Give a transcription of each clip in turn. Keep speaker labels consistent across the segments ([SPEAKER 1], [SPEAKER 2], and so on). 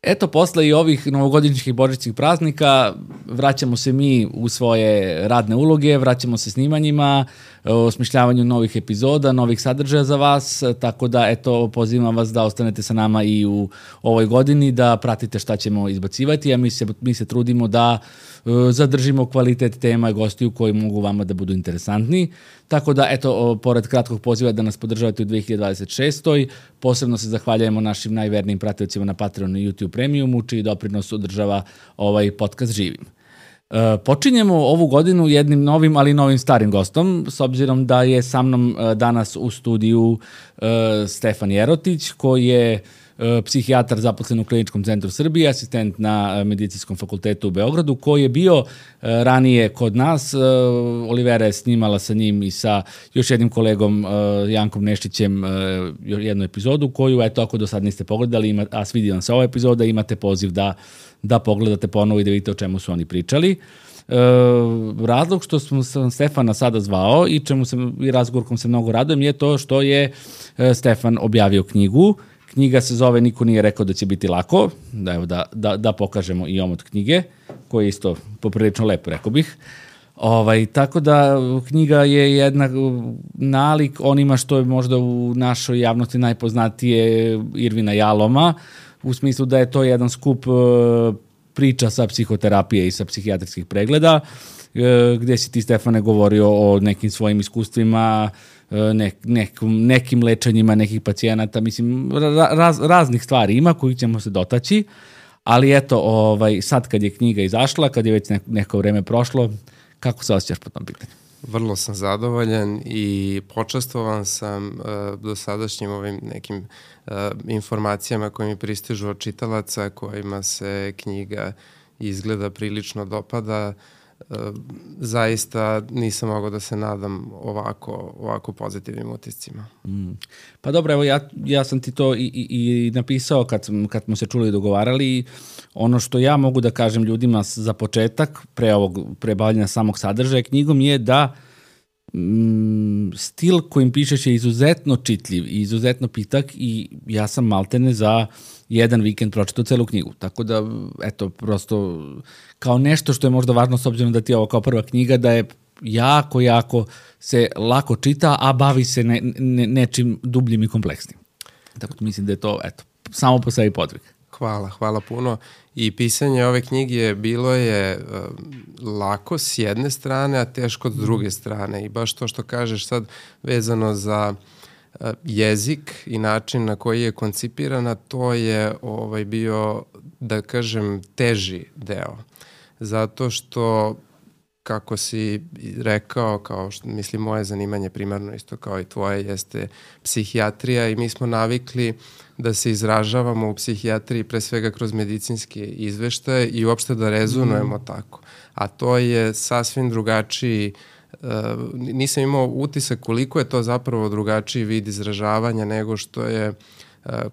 [SPEAKER 1] Eto, posle i ovih novogodišnjih i božićnih praznika vraćamo se mi u svoje radne uloge, vraćamo se snimanjima, osmišljavanju novih epizoda, novih sadržaja za vas, tako da eto, pozivam vas da ostanete sa nama i u ovoj godini, da pratite šta ćemo izbacivati, a mi se trudimo da zadržimo kvalitet tema i gostiju koji mogu vama da budu interesantni. Tako da, eto, pored kratkog poziva da nas podržavate u 2026. Posebno se zahvaljujemo našim najvernijim pratiocima na Patreonu i YouTube Premiumu, čiji doprinos održava ovaj podcast živim. Počinjemo ovu godinu jednim novim, ali novim starim gostom, s obzirom da je sa mnom danas u studiju Stefan Jerotić, koji je psihijatar zaposlen u Kliničkom centru Srbije, asistent na Medicinskom fakultetu u Beogradu, koji je bio ranije kod nas. Olivera je snimala sa njim i sa još jednim kolegom Jankom Neštićem jednu epizodu koju, eto, ako do sad niste pogledali, a svidi vam se ova epizoda, imate poziv da pogledate ponovo i da vidite o čemu su oni pričali. Razlog što sam Stefana sada zvao i razgovor kom se mnogo radujem je to što je Stefan objavio knjigu. Knjiga se zove Niko nije rekao da će biti lako, da pokažemo i omot knjige, koji je isto poprilično lepo, rekao bih. Tako da knjiga je jedna nalik onima što je možda u našoj javnosti najpoznatije Irvina Jaloma, u smislu da je to jedan skup priča sa psihoterapije i sa psihijatrijskih pregleda, gde si ti, Stefane, govorio o nekim svojim iskustvima, nekim lečenjima nekih pacijenata, mislim, raznih stvari ima kojih ćemo se dotaći, ali eto, sad kad je knjiga izašla, kad je već neko vreme prošlo, kako se osjećaš po tom pitanju?
[SPEAKER 2] Vrlo sam zadovoljan i počastvovan sam dosadašnjim ovim nekim informacijama koje mi pristižu od čitalaca, kojima se knjiga izgleda prilično dopada. Zaista nisam mogao da se nadam ovako pozitivnim utiscima.
[SPEAKER 1] Pa dobro, evo ja sam ti to i napisao kad smo se čuli i dogovarali. Ono što ja mogu da kažem ljudima za početak, pre bavljanja samog sadržaja knjigom, je da stil kojim pišeš je izuzetno čitljiv i izuzetno pitak i ja sam maltene za jedan vikend pročitao celu knjigu. Tako da, eto, prosto kao nešto što je možda važno s obzirom da ti je ovo kao prva knjiga, da je jako se lako čita, a bavi se nečim dubljim i kompleksnim. Tako da mislim da je to, eto, samo po sebi podvig.
[SPEAKER 2] Hvala puno. I pisanje ove knjige bilo je lako s jedne strane, a teško s druge strane. I baš to što kažeš sad vezano za jezik i način na koji je koncipirana, to je bio, da kažem, teži deo. Zato što, kako si rekao, kao što mislim moje zanimanje primarno isto kao i tvoje jeste psihijatrija i mi smo navikli da se izražavamo u psihijatriji pre svega kroz medicinske izveštaje i uopšte da rezonujemo tako. A to je sasvim drugačiji, nisam imao utisak koliko je to zapravo drugačiji vid izražavanja nego što je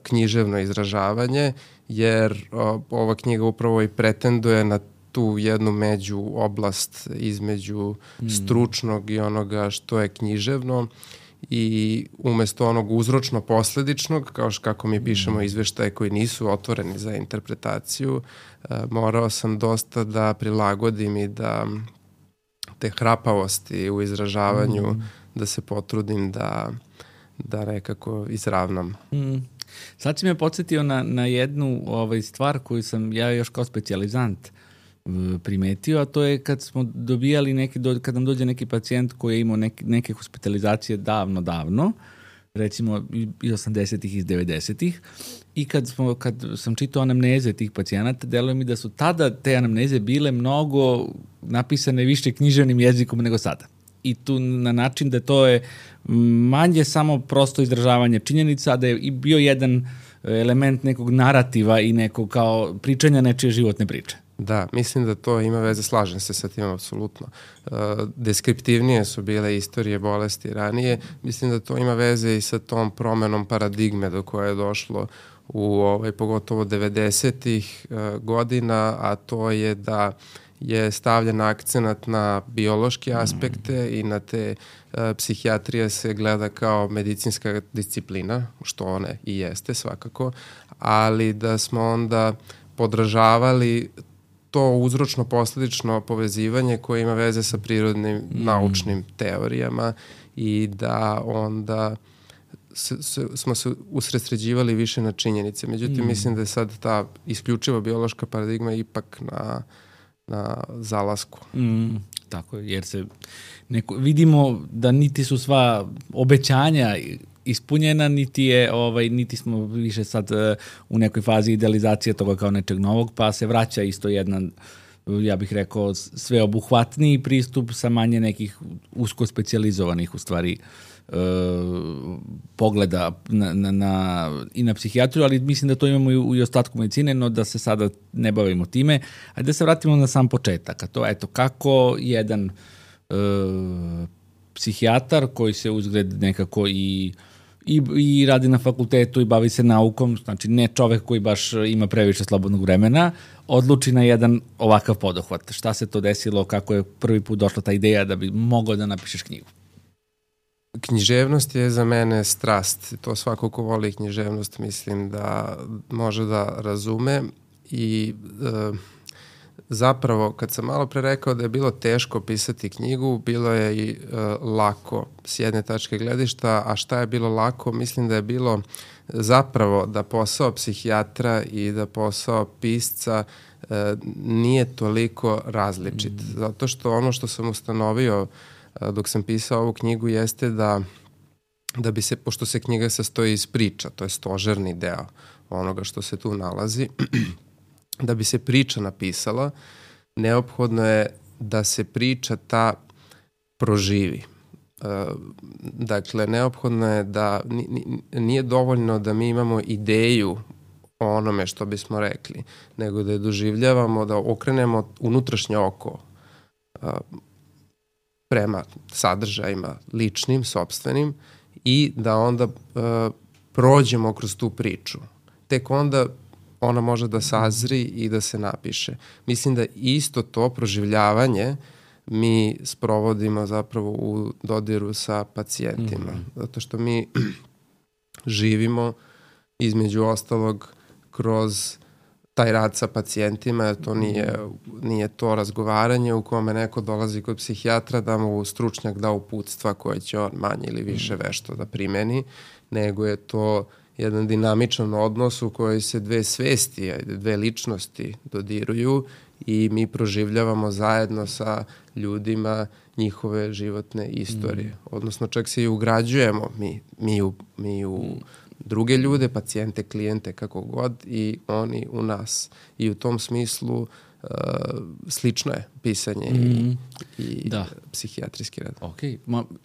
[SPEAKER 2] književno izražavanje, jer ova knjiga upravo i pretenduje na tu jednu među oblast između stručnog i onoga što je književno i umesto onog uzročno-posledičnog, kao kako mi pišemo izveštaje koji nisu otvoreni za interpretaciju, morao sam dosta da prilagodim i da te hrapavosti u izražavanju da se potrudim da nekako izravnam.
[SPEAKER 1] Sad si me podsjetio na jednu stvar koju sam ja još kao specijalizant primetio, a to je kad smo dobijali kad nam dođe neki pacijent koji je imao neke hospitalizacije davno, recimo iz 80-ih, iz 90-ih, i kad sam čitao anamneze tih pacijenata, deluje mi da su tada te anamneze bile mnogo napisane više književnim jezikom nego sada. I tu na način da to je manje samo prosto izražavanje činjenica, da je i bio jedan element nekog narativa i nekog kao pričanja nečije životne priče.
[SPEAKER 2] Da, mislim da to ima veze, slažem se sa tim apsolutno. Deskriptivnije su bile istorije bolesti ranije, mislim da to ima veze i sa tom promenom paradigme do koje je došlo u pogotovo 90-ih godina, a to je da je stavljen akcenat na biološke aspekte i na te psihijatrija se gleda kao medicinska disciplina, što one i jeste svakako, ali da smo onda podražavali to uzročno-posledično povezivanje koje ima veze sa prirodnim naučnim teorijama i da onda smo se usredsređivali više na činjenice. Međutim, mislim da je sad ta isključiva biološka paradigma ipak na zalasku.
[SPEAKER 1] Tako, jer se vidimo da niti su sva obećanja ispunjena, niti smo više sad u nekoj fazi idealizacije toga kao nečeg novog, pa se vraća isto jedan, ja bih rekao, sveobuhvatniji pristup sa manje nekih usko specijalizovanih u stvari pogleda i na psihijatriju, ali mislim da to imamo i u ostatku medicine, no da se sada ne bavimo time. Ajde da se vratimo na sam početak, a to eto kako jedan psihijatar koji se uzgled nekako i radi na fakultetu i bavi se naukom, znači ne čovek koji baš ima previše slobodnog vremena, odluči na jedan ovakav poduhvat. Šta se to desilo, kako je prvi put došla ta ideja da bi mogao da napišeš knjigu?
[SPEAKER 2] Književnost je za mene strast. To svako ko voli književnost mislim da može da razume i zapravo kad sam malo pre rekao da je bilo teško pisati knjigu, bilo je i lako s jedne tačke gledišta, a šta je bilo lako? Mislim da je bilo zapravo da posao psihijatra i da posao pisca nije toliko različit. Zato što ono što sam ustanovio dok sam pisao ovu knjigu jeste da bi se, pošto se knjiga sastoji iz priča, to je stožerni deo onoga što se tu nalazi, da bi se priča napisala, neophodno je da se priča ta proživi. Dakle, neophodno je da nije dovoljno da mi imamo ideju o onome što bismo rekli, nego da je doživljavamo, da okrenemo unutrašnje oko prema sadržajima ličnim, sopstvenim i da onda prođemo kroz tu priču. Tek onda ona može da sazri i da se napiše. Mislim da isto to proživljavanje mi sprovodimo zapravo u dodiru sa pacijentima. Zato što mi živimo između ostalog kroz taj rad sa pacijentima, jer to nije to razgovaranje u kome neko dolazi kod psihijatra da mu stručnjak da uputstva koje će on manje ili više vešto da primeni, nego je to jedan dinamičan odnos u kojoj se dve svesti, dve ličnosti dodiruju i mi proživljavamo zajedno sa ljudima njihove životne istorije. Odnosno čak se i ugrađujemo mi u druge ljude, pacijente, klijente, kako god, i oni u nas. I u tom smislu slično je pisanje i psihijatrijski rad.
[SPEAKER 1] Ok,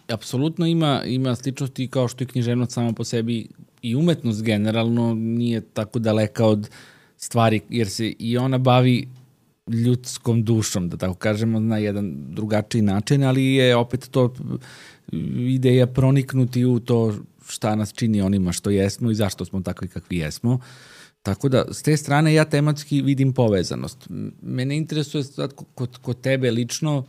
[SPEAKER 1] apsolutno ima sličnosti kao što je književnost samo po sebi i umetnost generalno nije tako daleka od stvari, jer se i ona bavi ljudskom dušom, da tako kažemo, na jedan drugačiji način, ali je opet to ideja proniknuti u to šta nas čini onima što jesmo i zašto smo takvi kakvi jesmo. Tako da, s te strane ja tematski vidim povezanost. Mene interesuje sad kod tebe lično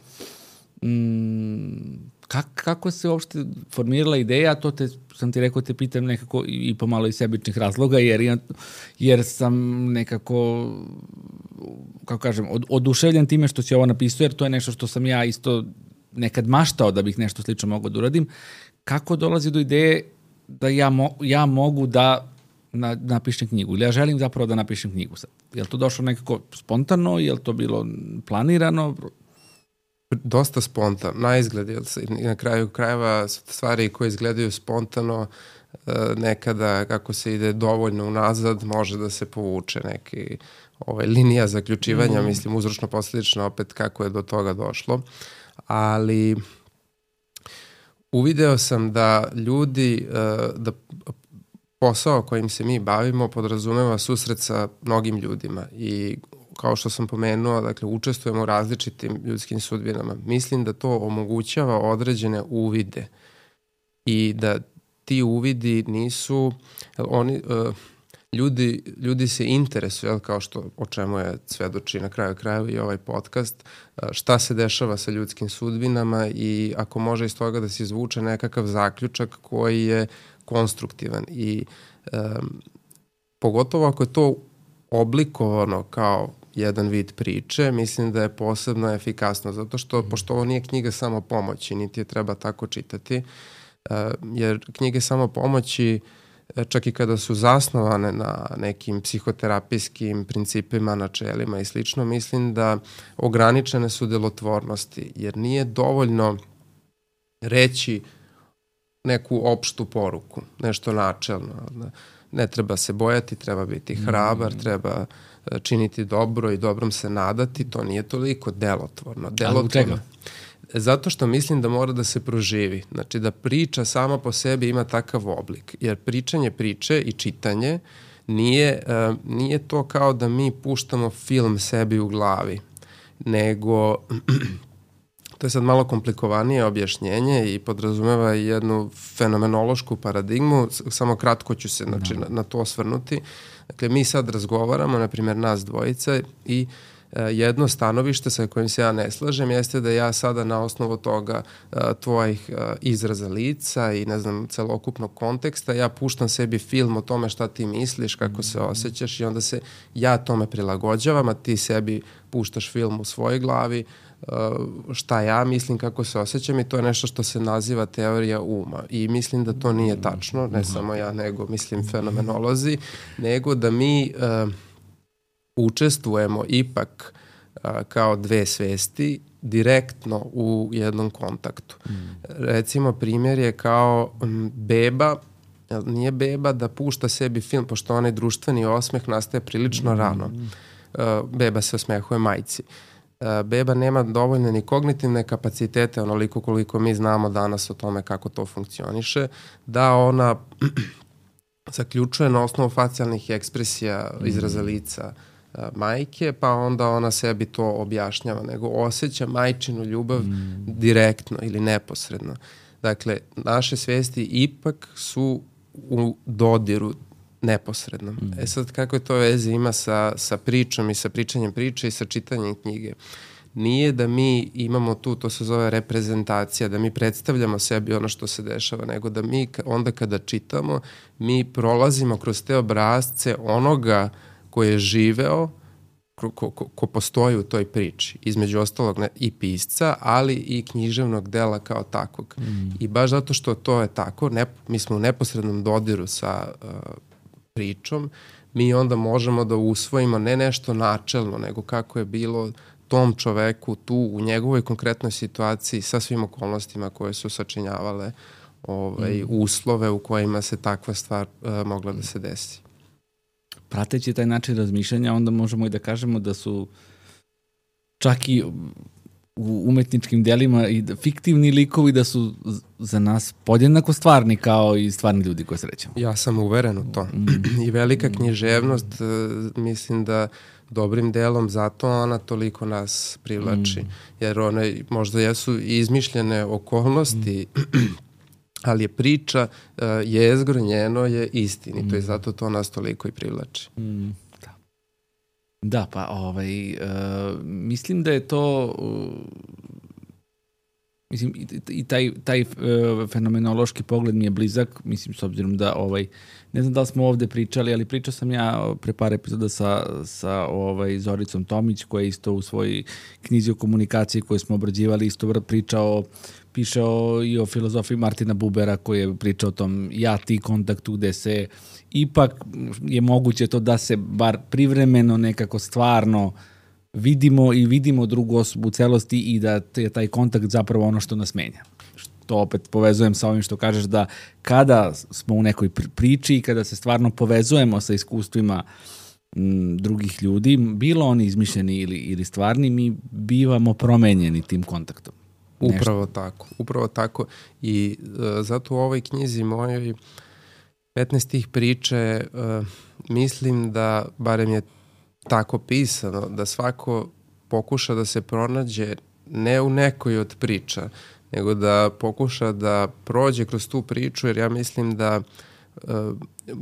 [SPEAKER 1] kako se uopšte formirala ideja, to sam ti rekao, te pitam nekako i pomalo iz sebičnih razloga, jer sam nekako, kako kažem, oduševljen time što si ovo napisao, jer to je nešto što sam ja isto nekad maštao da bih nešto slično mogao da uradim. Kako dolazi do ideje da ja mogu da napišem knjigu, ili ja želim zapravo da napišem knjigu sad? Je li to došlo nekako spontano, je li to bilo planirano?
[SPEAKER 2] Dosta spontano, na izgled, na kraju krajeva stvari koje izgledaju spontano, nekada kako se ide dovoljno unazad, može da se povuče neki linija zaključivanja, mislim uzročno-posledično opet kako je do toga došlo, ali uvideo sam da ljudi, da posao kojim se mi bavimo podrazumeva susret sa mnogim ljudima i kao što sam pomenuo, dakle, učestvujemo u različitim ljudskim sudbinama. Mislim da to omogućava određene uvide i da ti uvidi nisu, ljudi se interesuju, kao što o čemu je svedoči na kraju krajeva i ovaj podcast, šta se dešava sa ljudskim sudbinama i ako može iz toga da se izvuče nekakav zaključak koji je konstruktivan i pogotovo ako je to oblikovano kao jedan vid priče, mislim da je posebno efikasno, zato što, pošto ovo nije knjiga samo pomoći, niti je treba tako čitati, jer knjige samo pomoći, čak i kada su zasnovane na nekim psihoterapijskim principima, načelima i slično, mislim da ograničene su delotvornosti, jer nije dovoljno reći neku opštu poruku, nešto načelno. Ne treba se bojati, treba biti hrabar, treba činiti dobro i dobrom se nadati, to nije toliko delotvorno.
[SPEAKER 1] A u čega?
[SPEAKER 2] Zato što mislim da mora da se proživi. Znači da priča sama po sebi ima takav oblik. Jer pričanje priče i čitanje nije to kao da mi puštamo film sebi u glavi, nego to je sad malo komplikovanije objašnjenje i podrazumeva jednu fenomenološku paradigmu, samo kratko ću se na to osvrnuti. Dakle, mi sad razgovaramo, na primjer nas dvojica, i jedno stanovište sa kojim se ja ne slažem jeste da ja sada na osnovu toga tvojih izraza lica i ne znam celokupnog konteksta ja puštam sebi film o tome šta ti misliš, kako se osjećaš i onda se ja tome prilagođavam, a ti sebi puštaš film u svojoj glavi, šta ja mislim, kako se osjećam, i to je nešto što se naziva teorija uma i mislim da to nije tačno, ne samo ja, nego mislim fenomenolozi, nego da mi učestvujemo ipak kao dve svesti direktno u jednom kontaktu. Recimo, primjer je kao beba, nije beba da pušta sebi film, pošto onaj društveni osmeh nastaje prilično rano. Beba se osmehuje majci. Beba nema dovoljne ni kognitivne kapacitete, onoliko koliko mi znamo danas o tome kako to funkcioniše, da ona zaključuje na osnovu facijalnih ekspresija, izraza lica majke, pa onda ona sebi to objašnjava, nego osjeća majčinu ljubav direktno ili neposredno. Dakle, naše svesti ipak su u dodiru neposredno. Sad, kako to veze ima sa pričom i sa pričanjem priče i sa čitanjem knjige? Nije da mi imamo tu, to se zove reprezentacija, da mi predstavljamo sebi ono što se dešava, nego da mi onda kada čitamo, mi prolazimo kroz te obrazce onoga ko je živeo, ko postoji u toj priči, između ostalog i pisca, ali i književnog dela kao takvog. I baš zato što to je tako, mi smo u neposrednom dodiru sa pričom, mi onda možemo da usvojimo ne nešto načelno, nego kako je bilo tom čoveku tu u njegovoj konkretnoj situaciji sa svim okolnostima koje su sačinjavale uslove u kojima se takva stvar mogla da se desi.
[SPEAKER 1] Prateći taj način razmišljanja, onda možemo i da kažemo da su čak i u umetničkim delima i fiktivni likovi da su za nas podjednako stvarni kao i stvarni ljudi koje srećemo.
[SPEAKER 2] Ja sam uveren u to. I velika književnost, mislim da dobrim delom zato ona toliko nas privlači. Jer one možda jesu izmišljene okolnosti, ali je priča, jezgro njeno je istinito i zato to nas toliko i privlači.
[SPEAKER 1] Da, pa mislim da je to mislim i taj fenomenološki pogled mi je blizak, mislim s obzirom da ne znam da li smo ovde pričali, ali pričao sam ja pre par epizoda sa Zoricom Tomić, koja je isto u svojoj knjizi o komunikaciji koju smo obrađivali isto pišao i o filozofiji Martina Bubera, koji je pričao o tom ja-ti kontaktu, gde se ipak je moguće to da se bar privremeno nekako stvarno vidimo drugu osobu u celosti i da je taj kontakt zapravo ono što nas menja. To opet povezujem sa ovim što kažeš da kada smo u nekoj priči i kada se stvarno povezujemo sa iskustvima drugih ljudi, bilo oni izmišljeni ili stvarni, mi bivamo promenjeni tim kontaktom.
[SPEAKER 2] Upravo tako. I zato u ovoj knjizi mojoj 15 tih priče mislim da, barem je tako pisano, da svako pokuša da se pronađe ne u nekoj od priča, nego da pokuša da prođe kroz tu priču, jer ja mislim da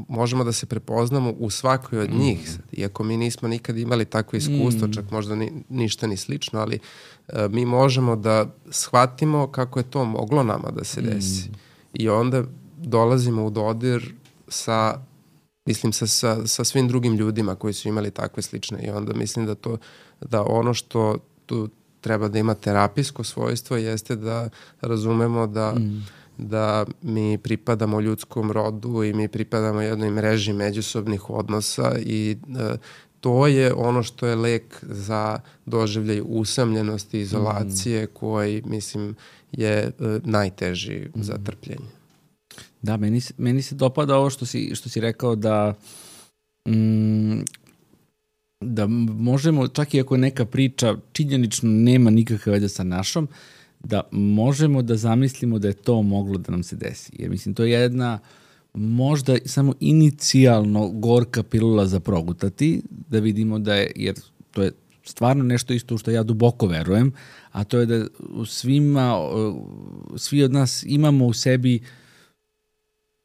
[SPEAKER 2] možemo da se prepoznamo u svakoj od njih. Iako mi nismo nikad imali takvo iskustvo, čak možda ništa ni slično, ali mi možemo da shvatimo kako je to moglo nama da se desi. I onda dolazimo u dodir sa mislim sa svim drugim ljudima koji su imali takve slične, i onda mislim da ono što tu treba da ima terapijsko svojstvo jeste da razumemo da mi pripadamo ljudskom rodu i mi pripadamo jednoj mreži međusobnih odnosa, i to je ono što je lek za doživljaj usamljenosti, izolacije, koji, mislim, je najteži za trpljenje.
[SPEAKER 1] Da, meni se dopada ovo što si rekao da možemo, čak i ako je neka priča činjenično nema nikakve veze sa našom, da možemo da zamislimo da je to moglo da nam se desi. Jer mislim, to je jedna možda samo inicijalno gorka pilula za progutati, da vidimo da je, jer to je stvarno nešto isto u što ja duboko verujem, a to je da svi od nas imamo u sebi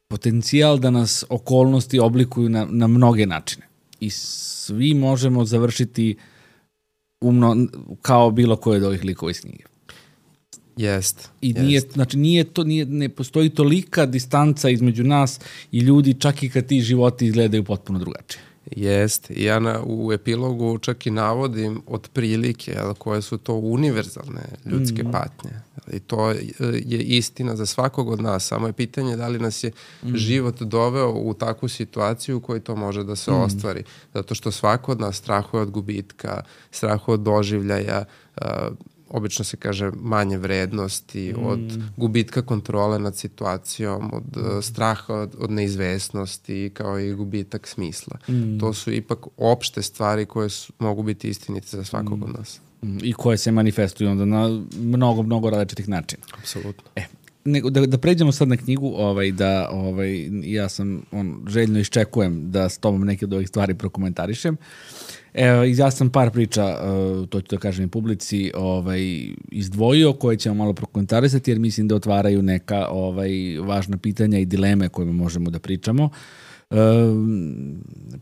[SPEAKER 1] potencijal da nas okolnosti oblikuju na mnoge načine. I svi možemo završiti kao bilo koje od ovih likova iz knjige.
[SPEAKER 2] Jest.
[SPEAKER 1] I ne postoji tolika distanca između nas i ljudi, čak i kad ti životi izgledaju potpuno drugačije.
[SPEAKER 2] Jest. Ja u epilogu čak i navodim otprilike koje su to univerzalne ljudske patnje. I to je istina za svakog od nas. Samo je pitanje da li nas je život doveo u takvu situaciju u kojoj to može da se ostvari. Zato što svako od nas strahuje od gubitka, strahuje od doživljaja, obično se kaže manje vrednosti, od gubitka kontrole nad situacijom, od straha od neizvesnosti, kao i gubitak smisla. To su ipak opšte stvari koje mogu biti istinite za svakog od nas.
[SPEAKER 1] I koje se manifestuju onda na mnogo različitih načina.
[SPEAKER 2] Apsolutno.
[SPEAKER 1] Da pređemo sad na knjigu, ja sam željno iščekujem da s tobom neke od ovih stvari prokomentarišem. Ja sam par priča, to ću da kažem i publici, izdvojio, koje ćemo malo prokomentarisati, jer mislim da otvaraju neka važna pitanja i dileme kojima možemo da pričamo.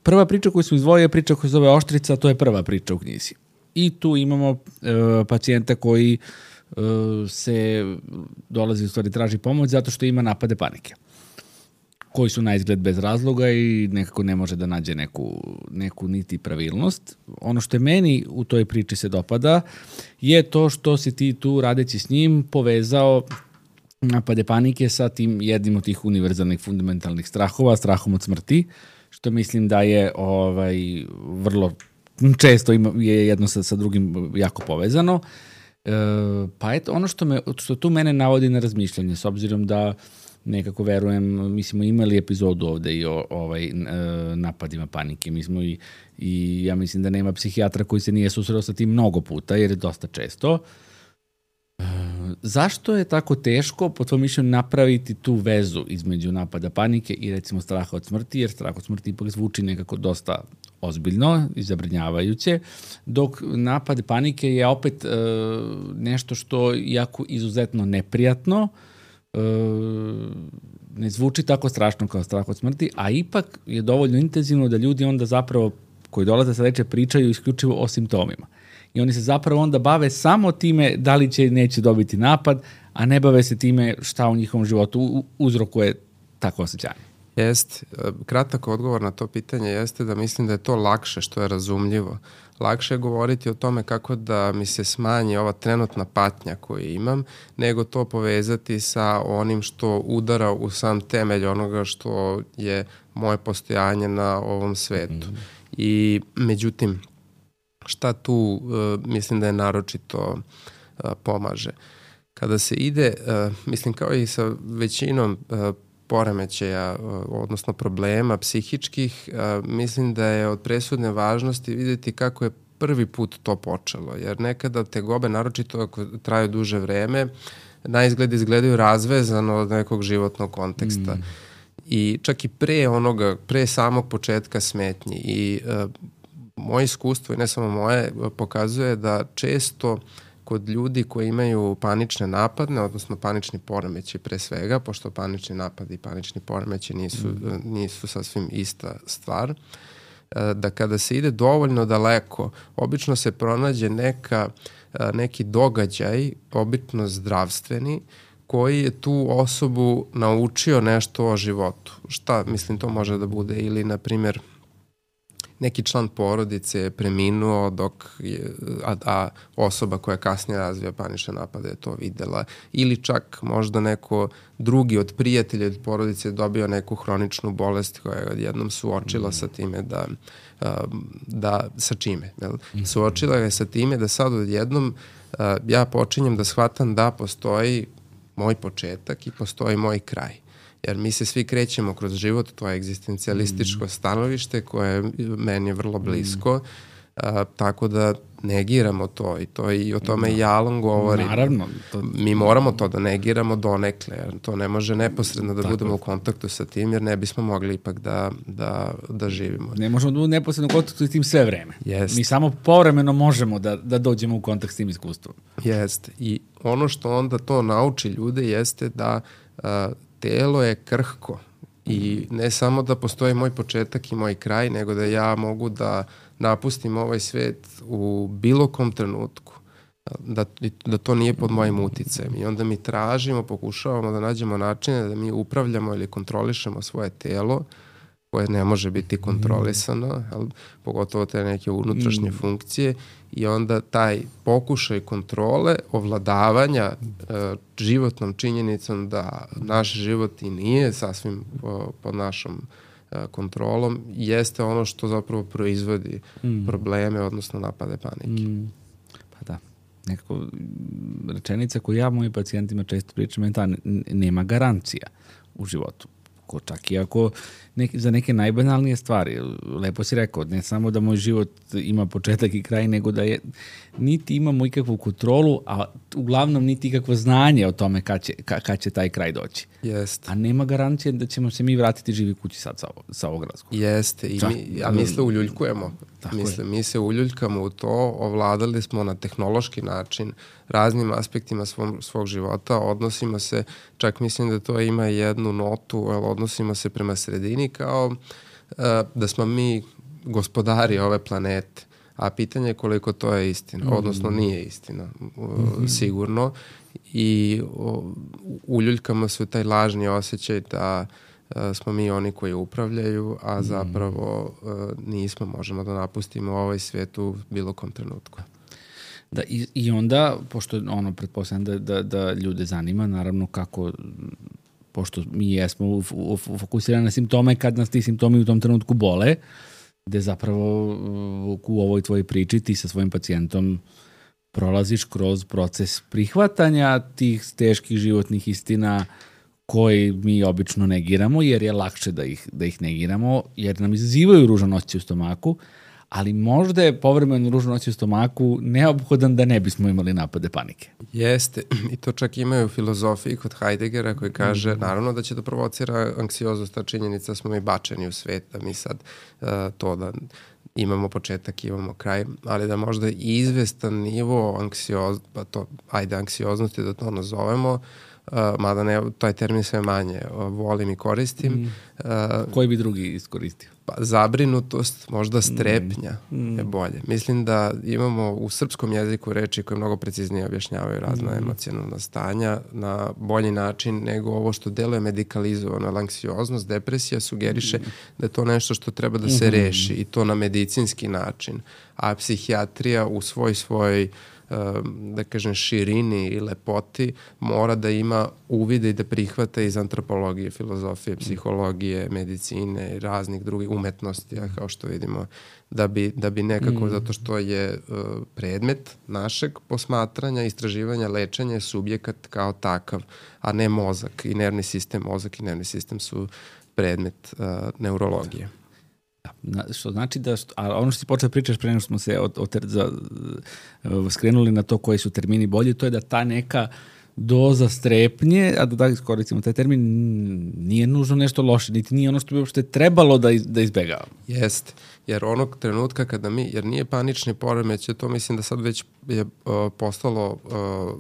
[SPEAKER 1] Prva priča koju smo izdvojili je priča koja se zove Oštrica, to je prva priča u knjizi. I tu imamo pacijenta koji dolazi, u stvari traži pomoć zato što ima napade panike, koji su na izgled bez razloga i nekako ne može da nađe neku niti pravilnost. Ono što je meni u toj priči se dopada je to što si ti tu, radeći s njim, povezao napade panike sa tim jednim od tih univerzalnih fundamentalnih strahova, strahom od smrti, što mislim da je vrlo često je jedno sa drugim jako povezano. Pa eto, ono što tu mene navodi na razmišljanje, s obzirom da nekako verujem, mi smo imali epizodu ovde i o napadima panike. Mi smo i ja mislim da nema psihijatra koji se nije susreo sa tim mnogo puta, jer je dosta često. Zašto je tako teško, po tvojom mišljenju, napraviti tu vezu između napada panike i recimo straha od smrti, jer strah od smrti ipak zvuči nekako dosta ozbiljno i zabrinjavajuće, dok napad panike je opet nešto što je jako izuzetno neprijatno, ne zvuči tako strašno kao strah od smrti, a ipak je dovoljno intenzivno da ljudi onda zapravo koji dolaze sa leče pričaju isključivo o simptomima. I oni se zapravo onda bave samo time da li će neće dobiti napad, a ne bave se time šta u njihovom životu uzrokuje tako osjećanje.
[SPEAKER 2] Jest. Kratak odgovor na to pitanje jeste da mislim da je to lakše, što je razumljivo. Lakše je govoriti o tome kako da mi se smanji ova trenutna patnja koju imam, nego to povezati sa onim što udara u sam temelj onoga što je moje postojanje na ovom svetu. I međutim, šta tu mislim da je naročito pomaže? Kada se ide, mislim kao i sa većinom poremećaja, odnosno problema psihičkih, mislim da je od presudne važnosti vidjeti kako je prvi put to počelo, jer nekada tegobe, naročito ako traju duže vreme, na izgled izgledaju razvezano od nekog životnog konteksta. I čak i pre samog početka smetnji. I moje iskustvo, i ne samo moje, pokazuje da često kod ljudi koji imaju panične napadne, odnosno panični poremećaj pre svega, pošto panični napad i panični poremećaj nisu sasvim ista stvar, da kada se ide dovoljno daleko, obično se pronađe neki događaj, obično zdravstveni, koji je tu osobu naučio nešto o životu. Šta, mislim, to može da bude ili, na primjer, neki član porodice je preminuo a osoba koja kasnije razvija panične napade je to videla. Ili čak možda neko drugi od prijatelja od porodice je dobio neku hroničnu bolest koja je odjednom suočila sa time sa čime. Suočila je sa time da sad odjednom ja počinjem da shvatam da postoji moj početak i postoji moj kraj. Jer mi se svi krećemo kroz život, to je egzistencijalističko stanovište koje je meni vrlo blisko, tako da negiramo to i o tome i Alan govori.
[SPEAKER 1] Naravno.
[SPEAKER 2] Mi moramo to da negiramo donekle, jer to ne može neposredno da budemo u kontaktu sa tim, jer ne bismo mogli ipak da živimo.
[SPEAKER 1] Ne možemo da budemo neposredno u kontaktu s tim sve vreme.
[SPEAKER 2] Jest.
[SPEAKER 1] Mi samo povremeno možemo da dođemo u kontakt s tim iskustvom.
[SPEAKER 2] Jeste. I ono što onda to nauči ljude jeste da telo je krhko i ne samo da postoji moj početak i moj kraj, nego da ja mogu da napustim ovaj svet u bilo kom trenutku, da to nije pod mojim uticajem. I onda mi pokušavamo da nađemo načine da mi upravljamo ili kontrolišemo svoje telo, koje ne može biti kontrolisano, pogotovo te neke unutrašnje funkcije, i onda taj pokušaj kontrole, ovladavanja životnom činjenicom da naš život i nije sasvim pod našom kontrolom, jeste ono što zapravo proizvodi probleme, odnosno napade panike.
[SPEAKER 1] Pa da. Nekako rečenica koju ja mojim pacijentima često pričam je ta: nema garancija u životu. Čak i ako za neke najbanalnije stvari. Lepo si rekao, ne samo da moj život ima početak i kraj, nego da niti imamo ikakvu kontrolu, a uglavnom niti ikakvo znanje o tome kad će taj kraj doći.
[SPEAKER 2] Jeste.
[SPEAKER 1] A nema garancije da ćemo se mi vratiti živi kući sad sa ovog razgovora.
[SPEAKER 2] Jeste. Mi se uljuljkujemo. Mi se uljuljkamo u to, ovladali smo na tehnološki način raznim aspektima svog života, odnosimo se, čak mislim da to ima jednu notu, odnosimo se prema sredini kao da smo mi gospodari ove planete, a pitanje je koliko to je istina, odnosno nije istina, sigurno, i uljuljkamo se u taj lažni osjećaj da smo mi oni koji upravljaju, a zapravo nismo, možemo da napustimo ovaj svijet u bilo kom trenutku.
[SPEAKER 1] Da, i onda, pošto pretpostavljam da ljude zanima, naravno kako, pošto mi jesmo fokusirani na simptome, kad nas ti simptomi u tom trenutku bole, gde zapravo u ovoj tvojoj priči ti sa svojim pacijentom prolaziš kroz proces prihvatanja tih teških životnih istina koji mi obično negiramo, jer je lakše da ih negiramo, jer nam izazivaju ružan osjećaj u stomaku, ali možda je povremeno ružan osjećaj u stomaku neophodan da ne bismo imali napade panike.
[SPEAKER 2] Jeste, i to čak imaju u filozofiji kod Heideggera koji kaže, naravno da će da provocira anksioznost, ta činjenica smo mi bačeni u svet, da mi sad to da imamo početak, imamo kraj, ali da možda izvestan nivo anksioznosti da to nazovemo, mada ne, taj termin sve manje volim i koristim.
[SPEAKER 1] Koji bi drugi iskoristio?
[SPEAKER 2] Pa, zabrinutost, možda strepnja je bolje. Mislim da imamo u srpskom jeziku reči koje mnogo preciznije objašnjavaju razna emocionalna stanja na bolji način nego ovo što deluje medikalizovano. Anksioznost, depresija sugeriše da je to nešto što treba da se reši i to na medicinski način. A psihijatrija u svoj da kažem širini i lepoti mora da ima uvide i da prihvata iz antropologije, filozofije, psihologije, medicine i raznih drugih umetnosti, kao što vidimo, da bi nekako, zato što je predmet našeg posmatranja, istraživanja, lečenja je subjekat kao takav, a ne mozak i nervni sistem. Mozak i nervni sistem su predmet neurologije.
[SPEAKER 1] Što znači da, a ono što ti počeo pričaš pre nego smo se skrenuli na to koji su termini bolji, to je da ta neka doza strepnje, a da iskoristimo taj termin, nije nužno nešto loše, niti nije ono što bi uopšte trebalo da izbegavamo.
[SPEAKER 2] Jeste, jer onog trenutka kada jer nije panični poremećaj, to mislim da sad već je postalo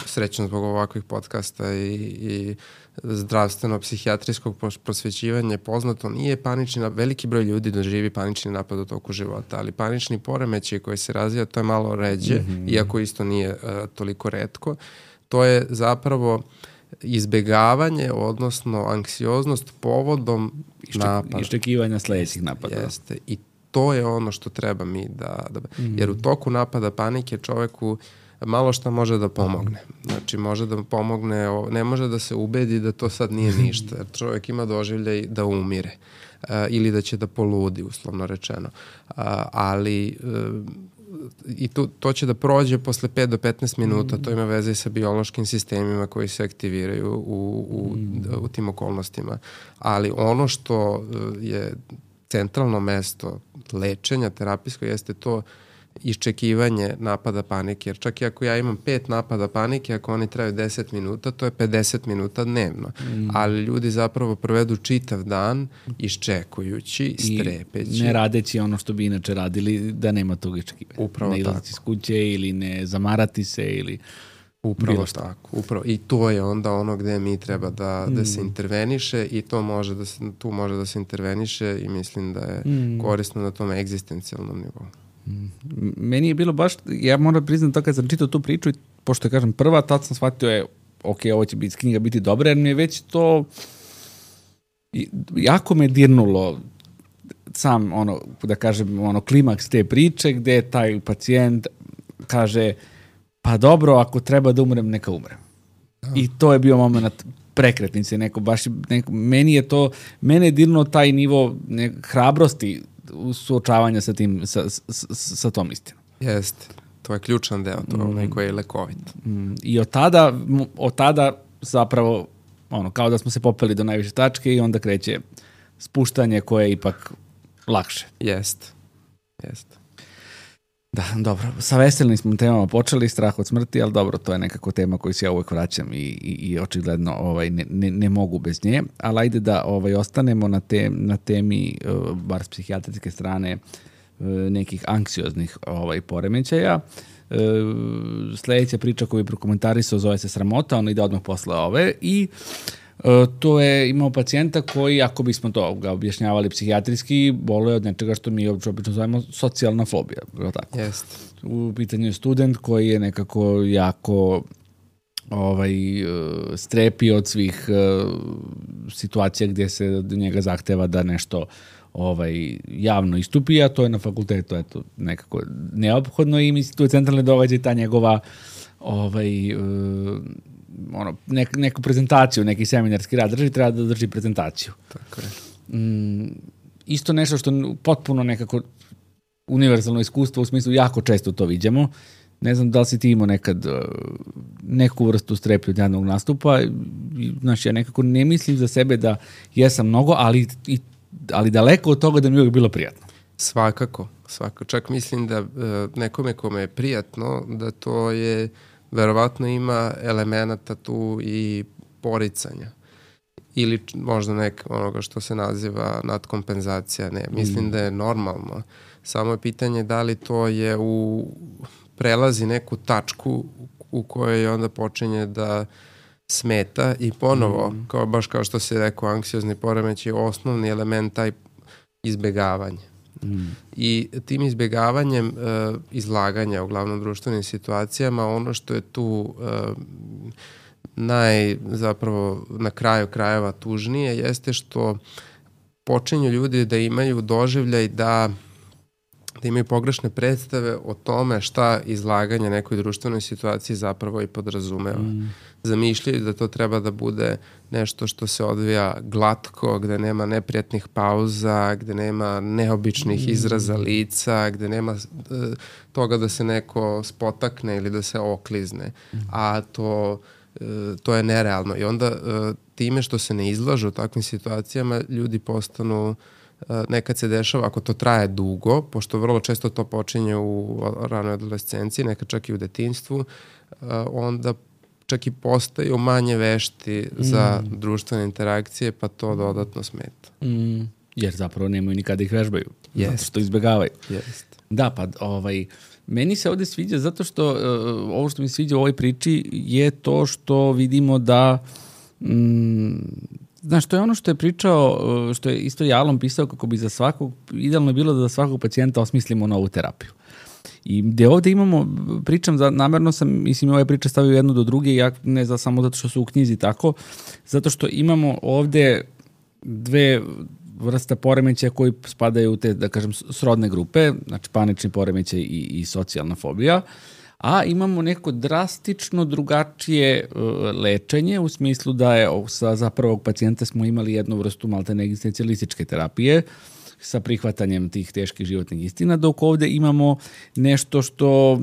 [SPEAKER 2] srećno zbog ovakvih podcasta i zdravstveno-psihijatrijskog prosvećivanja poznato, nije panični napad, veliki broj ljudi doživi panični napad u toku života, ali panični poremećaj koji se razvija, to je malo ređe, iako isto nije toliko retko. To je zapravo izbegavanje, odnosno anksioznost povodom napada.
[SPEAKER 1] Iščekivanja sledećih napada.
[SPEAKER 2] Jeste. I to je ono što treba mi jer u toku napada panike čoveku malo šta može da pomogne. Znači, može da pomogne, ne može da se ubedi da to sad nije ništa, jer čovjek ima doživljaj da umire ili da će da poludi, uslovno rečeno. Ali i to će da prođe posle 5 do 15 minuta, to ima veze sa biološkim sistemima koji se aktiviraju u tim okolnostima. Ali ono što je centralno mesto lečenja terapijsko jeste to iščekivanje napada panike, jer čak i ako ja imam 5 napada panike, ako oni traju 10 minuta, to je 50 minuta dnevno. Ali ljudi zapravo provedu čitav dan iščekujući, strepeći.
[SPEAKER 1] I ne radeći ono što bi inače radili da nema tog iščekivanja.
[SPEAKER 2] Upravo
[SPEAKER 1] ne
[SPEAKER 2] tako.
[SPEAKER 1] iz kuće ili ne zamarati se ili
[SPEAKER 2] upravo tako. I to je onda ono gde mi treba da se interveniše i tu može da se interveniše i mislim da je korisno na tom egzistencijalnom nivou.
[SPEAKER 1] Meni je bilo baš, ja moram priznati to kad sam čitao tu priču, pošto je kažem prva, tad sam shvatio je, ok, ovo će biti knjiga biti dobra, jer mi je već to jako me dirnulo sam, da kažem, klimaks te priče, gde taj pacijent kaže, pa dobro, ako treba da umrem, neka umrem. I to je bio moment prekretnice, mene je dirnulo taj nivo hrabrosti suočavanja sa tim, sa tom istinom.
[SPEAKER 2] Jeste. To je ključan deo, to je onaj koji je lekovit.
[SPEAKER 1] I od tada zapravo, kao da smo se popeli do najviše tačke i onda kreće spuštanje koje je ipak lakše.
[SPEAKER 2] Jeste.
[SPEAKER 1] Da, dobro. Sa veselnim smo temama počeli, strah od smrti, ali dobro, to je nekako tema koju se ja uvek vraćam i očigledno ne mogu bez nje. Ali ajde da ostanemo na temi, bar s psihijatrijske strane, nekih anksioznih poremećaja. Sledeća priča koju je prokomentarisao zove se Sramota, ona ide odmah posle ove i to je imao pacijenta koji, ako bismo to ga objašnjavali psihijatrijski, boluje od nečega što mi obično zovemo socijalna fobija. Tako?
[SPEAKER 2] Jest.
[SPEAKER 1] U pitanju je student koji je nekako jako strepi od svih situacija gdje se od njega zahteva da nešto javno istupi, a to je na fakultetu nekako neophodno i mislim tu je centralni događaj ta njegova neku prezentaciju, neki seminarski rad drži, treba da drži prezentaciju.
[SPEAKER 2] Tako je.
[SPEAKER 1] Isto nešto što potpuno nekako univerzalno iskustvo, u smislu jako često to vidimo. Ne znam da li si ti imao nekad neku vrstu strepi od javnog nastupa. Znači, ja nekako ne mislim za sebe da jesam mnogo, ali daleko od toga da mi je uvijek bilo prijatno.
[SPEAKER 2] Svakako. Čak mislim da nekome kome je prijatno, da to je verovatno ima elemenata tu i poricanja. Ili možda onoga što se naziva nadkompenzacija. Ne, mislim da je normalno. Samo je pitanje da li to je prelazi neku tačku u kojoj onda počinje da smeta i ponovo, baš kao što si rekao, anksiozni poremećaj je osnovni element taj izbegavanje. I tim izbjegavanjem izlaganja u glavnom društvenim situacijama, ono što je tu zapravo na kraju krajeva tužnije jeste što počinju ljudi da imaju doživljaj da imaju pogrešne predstave o tome šta izlaganje nekoj društvenoj situaciji zapravo i podrazumeva. Zamišljaju da to treba da bude nešto što se odvija glatko, gde nema neprijatnih pauza, gde nema neobičnih izraza lica, gde nema toga da se neko spotakne ili da se oklizne. A to je nerealno. I onda time što se ne izlažu u takvim situacijama, ljudi postanu, nekad se dešava, ako to traje dugo, pošto vrlo često to počinje u ranoj adolescenciji, nekad čak i u detinjstvu, onda čak i postaju manje vešti za društvene interakcije, pa to dodatno smeta.
[SPEAKER 1] Jer zapravo nemaju nikada ih vežbaju. Zato što izbjegavaju. Da, pa meni se ovdje sviđa zato što ovo što mi se sviđa u ovoj priči je to što vidimo da znaš, to je ono što je pričao, što je isto Jalom pisao kako bi za svakog, idealno je bilo da za svakog pacijenta osmislimo novu terapiju. I gde ovde imamo, namerno sam, mislim, ove priče stavio jednu do druge, ja ne znam samo zato što su u knjizi tako, zato što imamo ovde dve vrsta poremećaja koji spadaju u te, da kažem, srodne grupe, znači panični poremećaj i socijalna fobija, a imamo neko drastično drugačije lečenje, u smislu da je za prvog pacijenta smo imali jednu vrstu maltene egzistencijalističke terapije sa prihvatanjem tih teških životnih istina, dok ovde imamo nešto što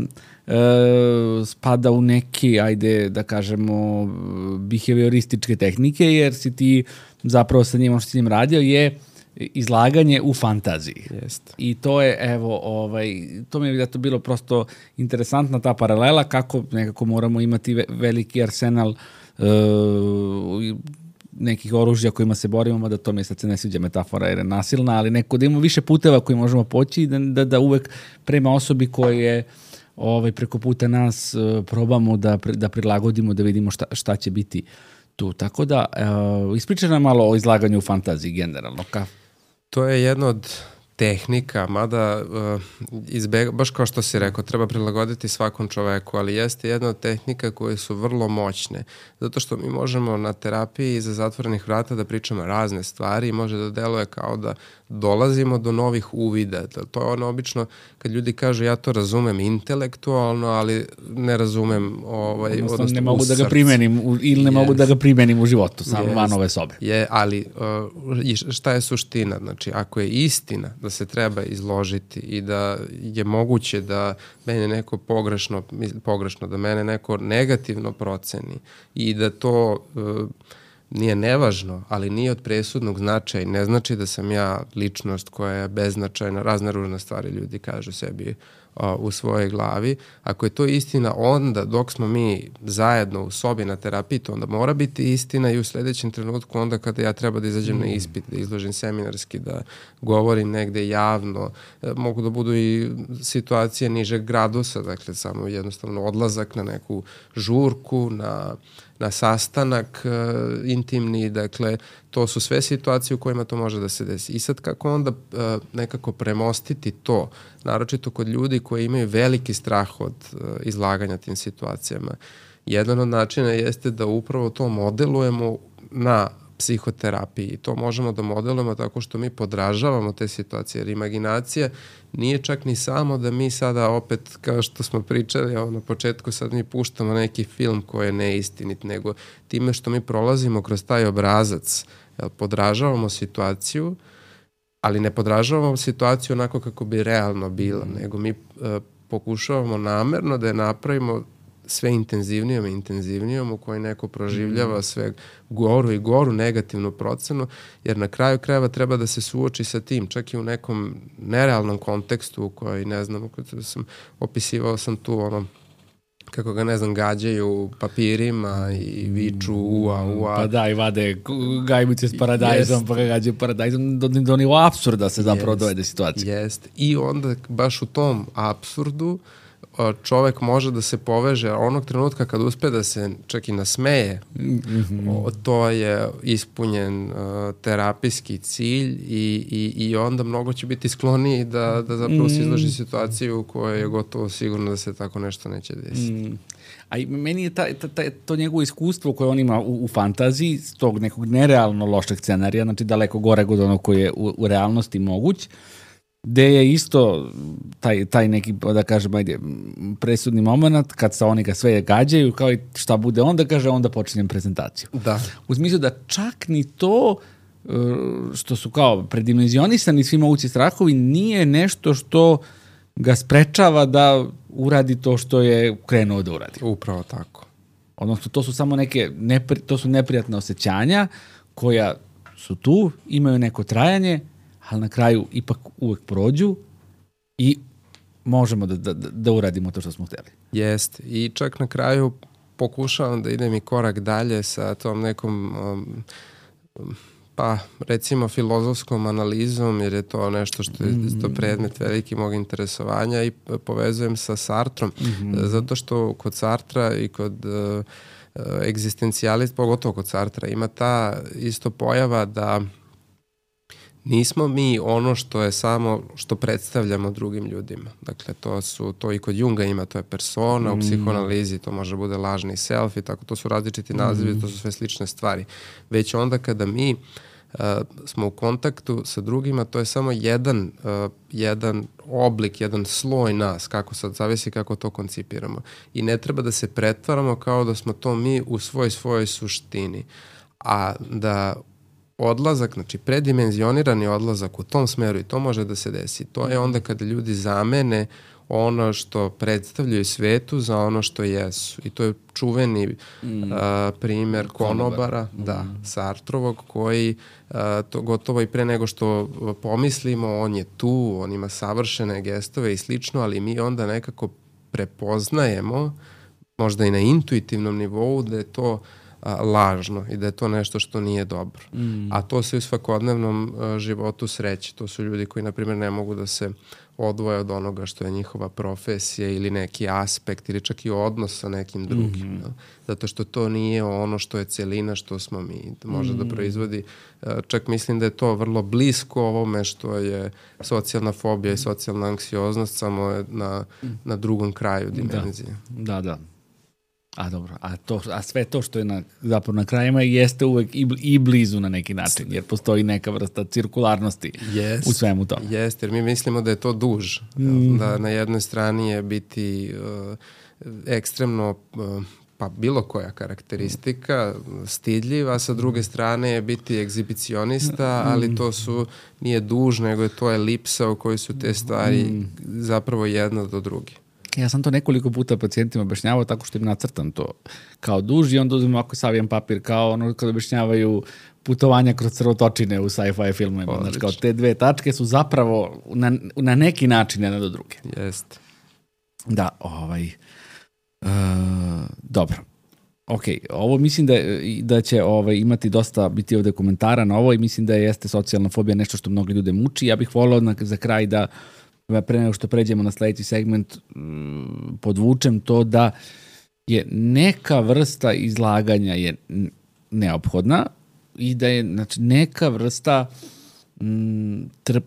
[SPEAKER 1] spada u neke, ajde da kažemo, behaviorističke tehnike, jer si ti zapravo sa njim, ono što si njim radio je izlaganje u fantaziji.
[SPEAKER 2] Jest.
[SPEAKER 1] I to je, evo, to mi je to bilo prosto interesantna ta paralela, kako nekako moramo imati veliki arsenal nekih oružja kojima se borimo, mada to mi sad se ne sviđa metafora jer je nasilna, ali neko da imamo više puteva koji možemo poći i da uvek prema osobi koje je preko puta nas probamo da prilagodimo, da vidimo šta će biti tu. Tako da, ispričaj nam malo o izlaganju u fantaziji generalno.
[SPEAKER 2] To je jedna od tehnika, mada baš kao što si rekao, treba prilagoditi svakom čoveku, ali jeste jedna od tehnika koje su vrlo moćne, zato što mi možemo na terapiji iza zatvorenih vrata da pričamo razne stvari i može da deluje kao da dolazimo do novih uvida. To je ono obično kad ljudi kažu ja to razumem intelektualno, ali ne razumem odnosno
[SPEAKER 1] ne mogu da ga primenim ili ne mogu da ga primenim u životu, samo van ove sobe.
[SPEAKER 2] Ali šta je suština? Znači, ako je istina da se treba izložiti i da je moguće da mene neko pogrešno, da mene neko negativno proceni i da to nije nevažno, ali nije od presudnog značaja i ne znači da sam ja ličnost koja je beznačajna, razne ružne stvari ljudi kažu sebi u svojoj glavi. Ako je to istina, onda dok smo mi zajedno u sobi na terapiji, to onda mora biti istina i u sledećem trenutku onda kada ja treba da izađem na ispit, da izložim seminarski, da govorim negde javno, mogu da budu i situacije nižeg gradusa, dakle samo jednostavno odlazak na neku žurku, na sastanak intimni, dakle to su sve situacije u kojima to može da se desi. I sad kako onda nekako premostiti to, naročito kod ljudi koji imaju veliki strah od izlaganja tim situacijama. Jedan od načina jeste da upravo to modelujemo na psihoterapiji i to možemo da modelujemo tako što mi podražavamo te situacije, jer imaginacija nije čak ni samo da mi sada opet, kao što smo pričali na početku, sad mi puštamo neki film koji je neistinit, nego time što mi prolazimo kroz taj obrazac, podražavamo situaciju, ali ne podražavamo situaciju onako kako bi realno bila, nego mi pokušavamo namerno da je napravimo sve intenzivnijom u kojoj neko proživljava sve goru i goru negativnu procenu, jer na kraju krajeva treba da se suoči sa tim, čak i u nekom nerealnom kontekstu u kojoj, ne znam, opisivao sam tu kako ga, ne znam, gađaju papirima i viču ua.
[SPEAKER 1] Pa da, i vade gajbice s paradajzom, pa ga gađaju paradajzom, do nivo apsurda se zapravo dovede situacija.
[SPEAKER 2] Jest. I onda baš u tom apsurdu čovek može da se poveže onog trenutka kad uspe da se čak i nasmeje, to je ispunjen terapijski cilj i onda mnogo će biti skloniji da zapravo se izloži situaciju u kojoj je gotovo sigurno da se tako nešto neće desiti.
[SPEAKER 1] A meni je to njegovo iskustvo koje on ima u fantaziji, s tog nekog nerealno lošeg scenarija, znači daleko gore od onog koji je u realnosti moguć, gde je isto taj neki, da kažem, presudni moment kad sa oni ga sve gađaju, kao i šta bude onda, kaže, onda počinjem prezentaciju.
[SPEAKER 2] Da.
[SPEAKER 1] U smislu da čak ni to što su kao predimenzionisani svi mogući strahovi nije nešto što ga sprečava da uradi to što je krenuo da uradi.
[SPEAKER 2] Upravo tako.
[SPEAKER 1] Odnosno, to su samo to su neprijatne osjećanja koja su tu, imaju neko trajanje, ali na kraju ipak uvek prođu i možemo da uradimo to što smo hteli.
[SPEAKER 2] Jest. I čak na kraju pokušavam da idem i korak dalje sa tom nekom pa recimo filozofskom analizom, jer je to nešto što je to predmet veliki mog interesovanja i povezujem sa Sartrom, zato što kod Sartra i kod egzistencijalista, pogotovo kod Sartra, ima ta isto pojava da nismo mi ono što je samo što predstavljamo drugim ljudima. Dakle, to i kod Junga ima, to je persona, u psihoanalizi to može bude lažni self i tako, to su različiti nazivi, to su sve slične stvari. Već onda kada mi smo u kontaktu sa drugima, to je samo jedan oblik, jedan sloj nas, kako sad zavisi kako to koncipiramo. I ne treba da se pretvaramo kao da smo to mi u svojoj suštini. A da odlazak, znači predimenzionirani odlazak u tom smeru, i to može da se desi, to je onda kada ljudi zamene ono što predstavljaju svetu za ono što jesu. I to je čuveni primer konobara, Sartrovog, koji to gotovo i pre nego što pomislimo, on je tu, on ima savršene gestove i slično, ali mi onda nekako prepoznajemo, možda i na intuitivnom nivou, da je to lažno i da je to nešto što nije dobro. A to se u svakodnevnom životu sreće. To su ljudi koji, na primjer, ne mogu da se odvoje od onoga što je njihova profesija ili neki aspekt ili čak i odnos sa nekim drugim. Zato što to nije ono što je celina što smo mi. Može da proizvodi, čak mislim da je to vrlo blisko ovome što je socijalna fobija i socijalna anksioznost, samo je na drugom kraju dimenzije.
[SPEAKER 1] Da. A dobro, a sve to što je zapravo na krajima jeste uvek i blizu na neki način, jer postoji neka vrsta cirkularnosti u svemu tome.
[SPEAKER 2] Jeste, jer mi mislimo da je to duž. Da na jednoj strani je biti ekstremno, pa bilo koja karakteristika, stidljiva, a sa druge strane je biti egzibicionista, ali to nije duž, nego to je elipsa u kojoj su te stvari zapravo jedna do druge.
[SPEAKER 1] Ja sam to nekoliko puta pacijentima objašnjavao tako što im nacrtam to kao duž i onda uzmem ovako savijan papir kao ono kada objašnjavaju putovanja kroz crvotočine u sci-fi filmovima. Znači, kao te dve tačke su zapravo na neki način jedna do druge.
[SPEAKER 2] Jeste.
[SPEAKER 1] Da, dobro. Ok, ovo mislim da će imati dosta biti ovde komentara na ovo i mislim da jeste socijalna fobija nešto što mnogi ljude muči. Ja bih volao za kraj da pre nego što pređemo na sledeći segment podvučem to da je neka vrsta izlaganja je neophodna i da je neka vrsta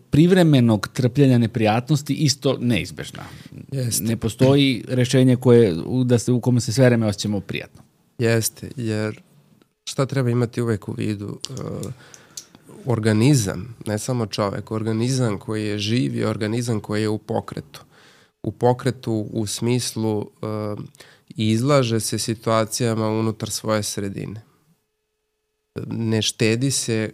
[SPEAKER 1] privremenog trpljenja neprijatnosti isto neizbežna.
[SPEAKER 2] Jeste.
[SPEAKER 1] Ne postoji rešenje u kome se sve vreme osjećamo prijatno.
[SPEAKER 2] Jeste, jer šta treba imati uvek u vidu? Organizam, ne samo čovek, organizam koji je živ je organizam koji je u pokretu. U pokretu u smislu izlaže se situacijama unutar svoje sredine. Ne štedi se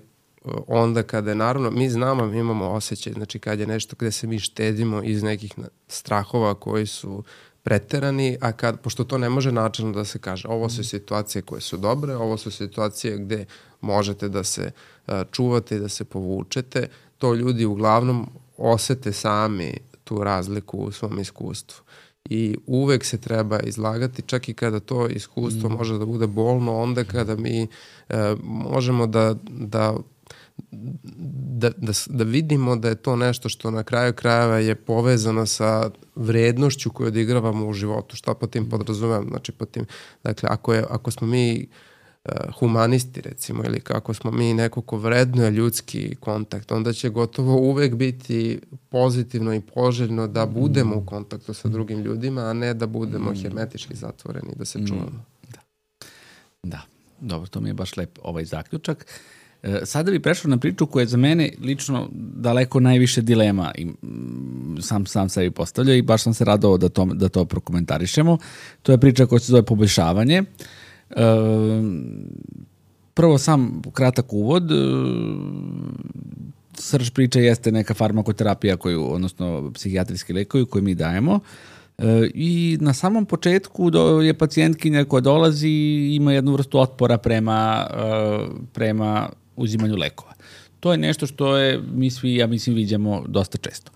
[SPEAKER 2] onda kada je, naravno, mi znamo, mi imamo osjećaj, znači kad je nešto gde se mi štedimo iz nekih strahova koji su preterani, a pošto to ne može načelno da se kaže, ovo su situacije koje su dobre, ovo su situacije gde možete da se čuvate i da se povučete, to ljudi uglavnom osete sami tu razliku u svom iskustvu. I uvek se treba izlagati, čak i kada to iskustvo može da bude bolno, onda kada mi možemo da vidimo da je to nešto što na kraju krajeva je povezano sa vrednošću koju odigravamo u životu. Šta po tim podrazumijem? Znači, dakle, ako smo mi humanisti, recimo, ili kako smo mi neko ko vrednuje ljudski kontakt, onda će gotovo uvek biti pozitivno i poželjno da budemo u kontaktu sa drugim ljudima, a ne da budemo hermetički zatvoreni, da se čuvamo.
[SPEAKER 1] Da, dobro, to mi je baš lep ovaj zaključak. Sada bih prešao na priču koja je za mene lično daleko najviše dilema i sam sebi postavljao i baš sam se radovao da to prokomentarišemo. To je priča koja se zove poboljšavanje. Prvo sam kratak uvod. Srž priče jeste neka farmakoterapija odnosno psihijatrijski lekovi koje mi dajemo. I na samom početku je pacijentkinja koja dolazi ima jednu vrstu otpora prema uzimanju lekova. To je nešto što mi svi, ja mislim, viđamo dosta često.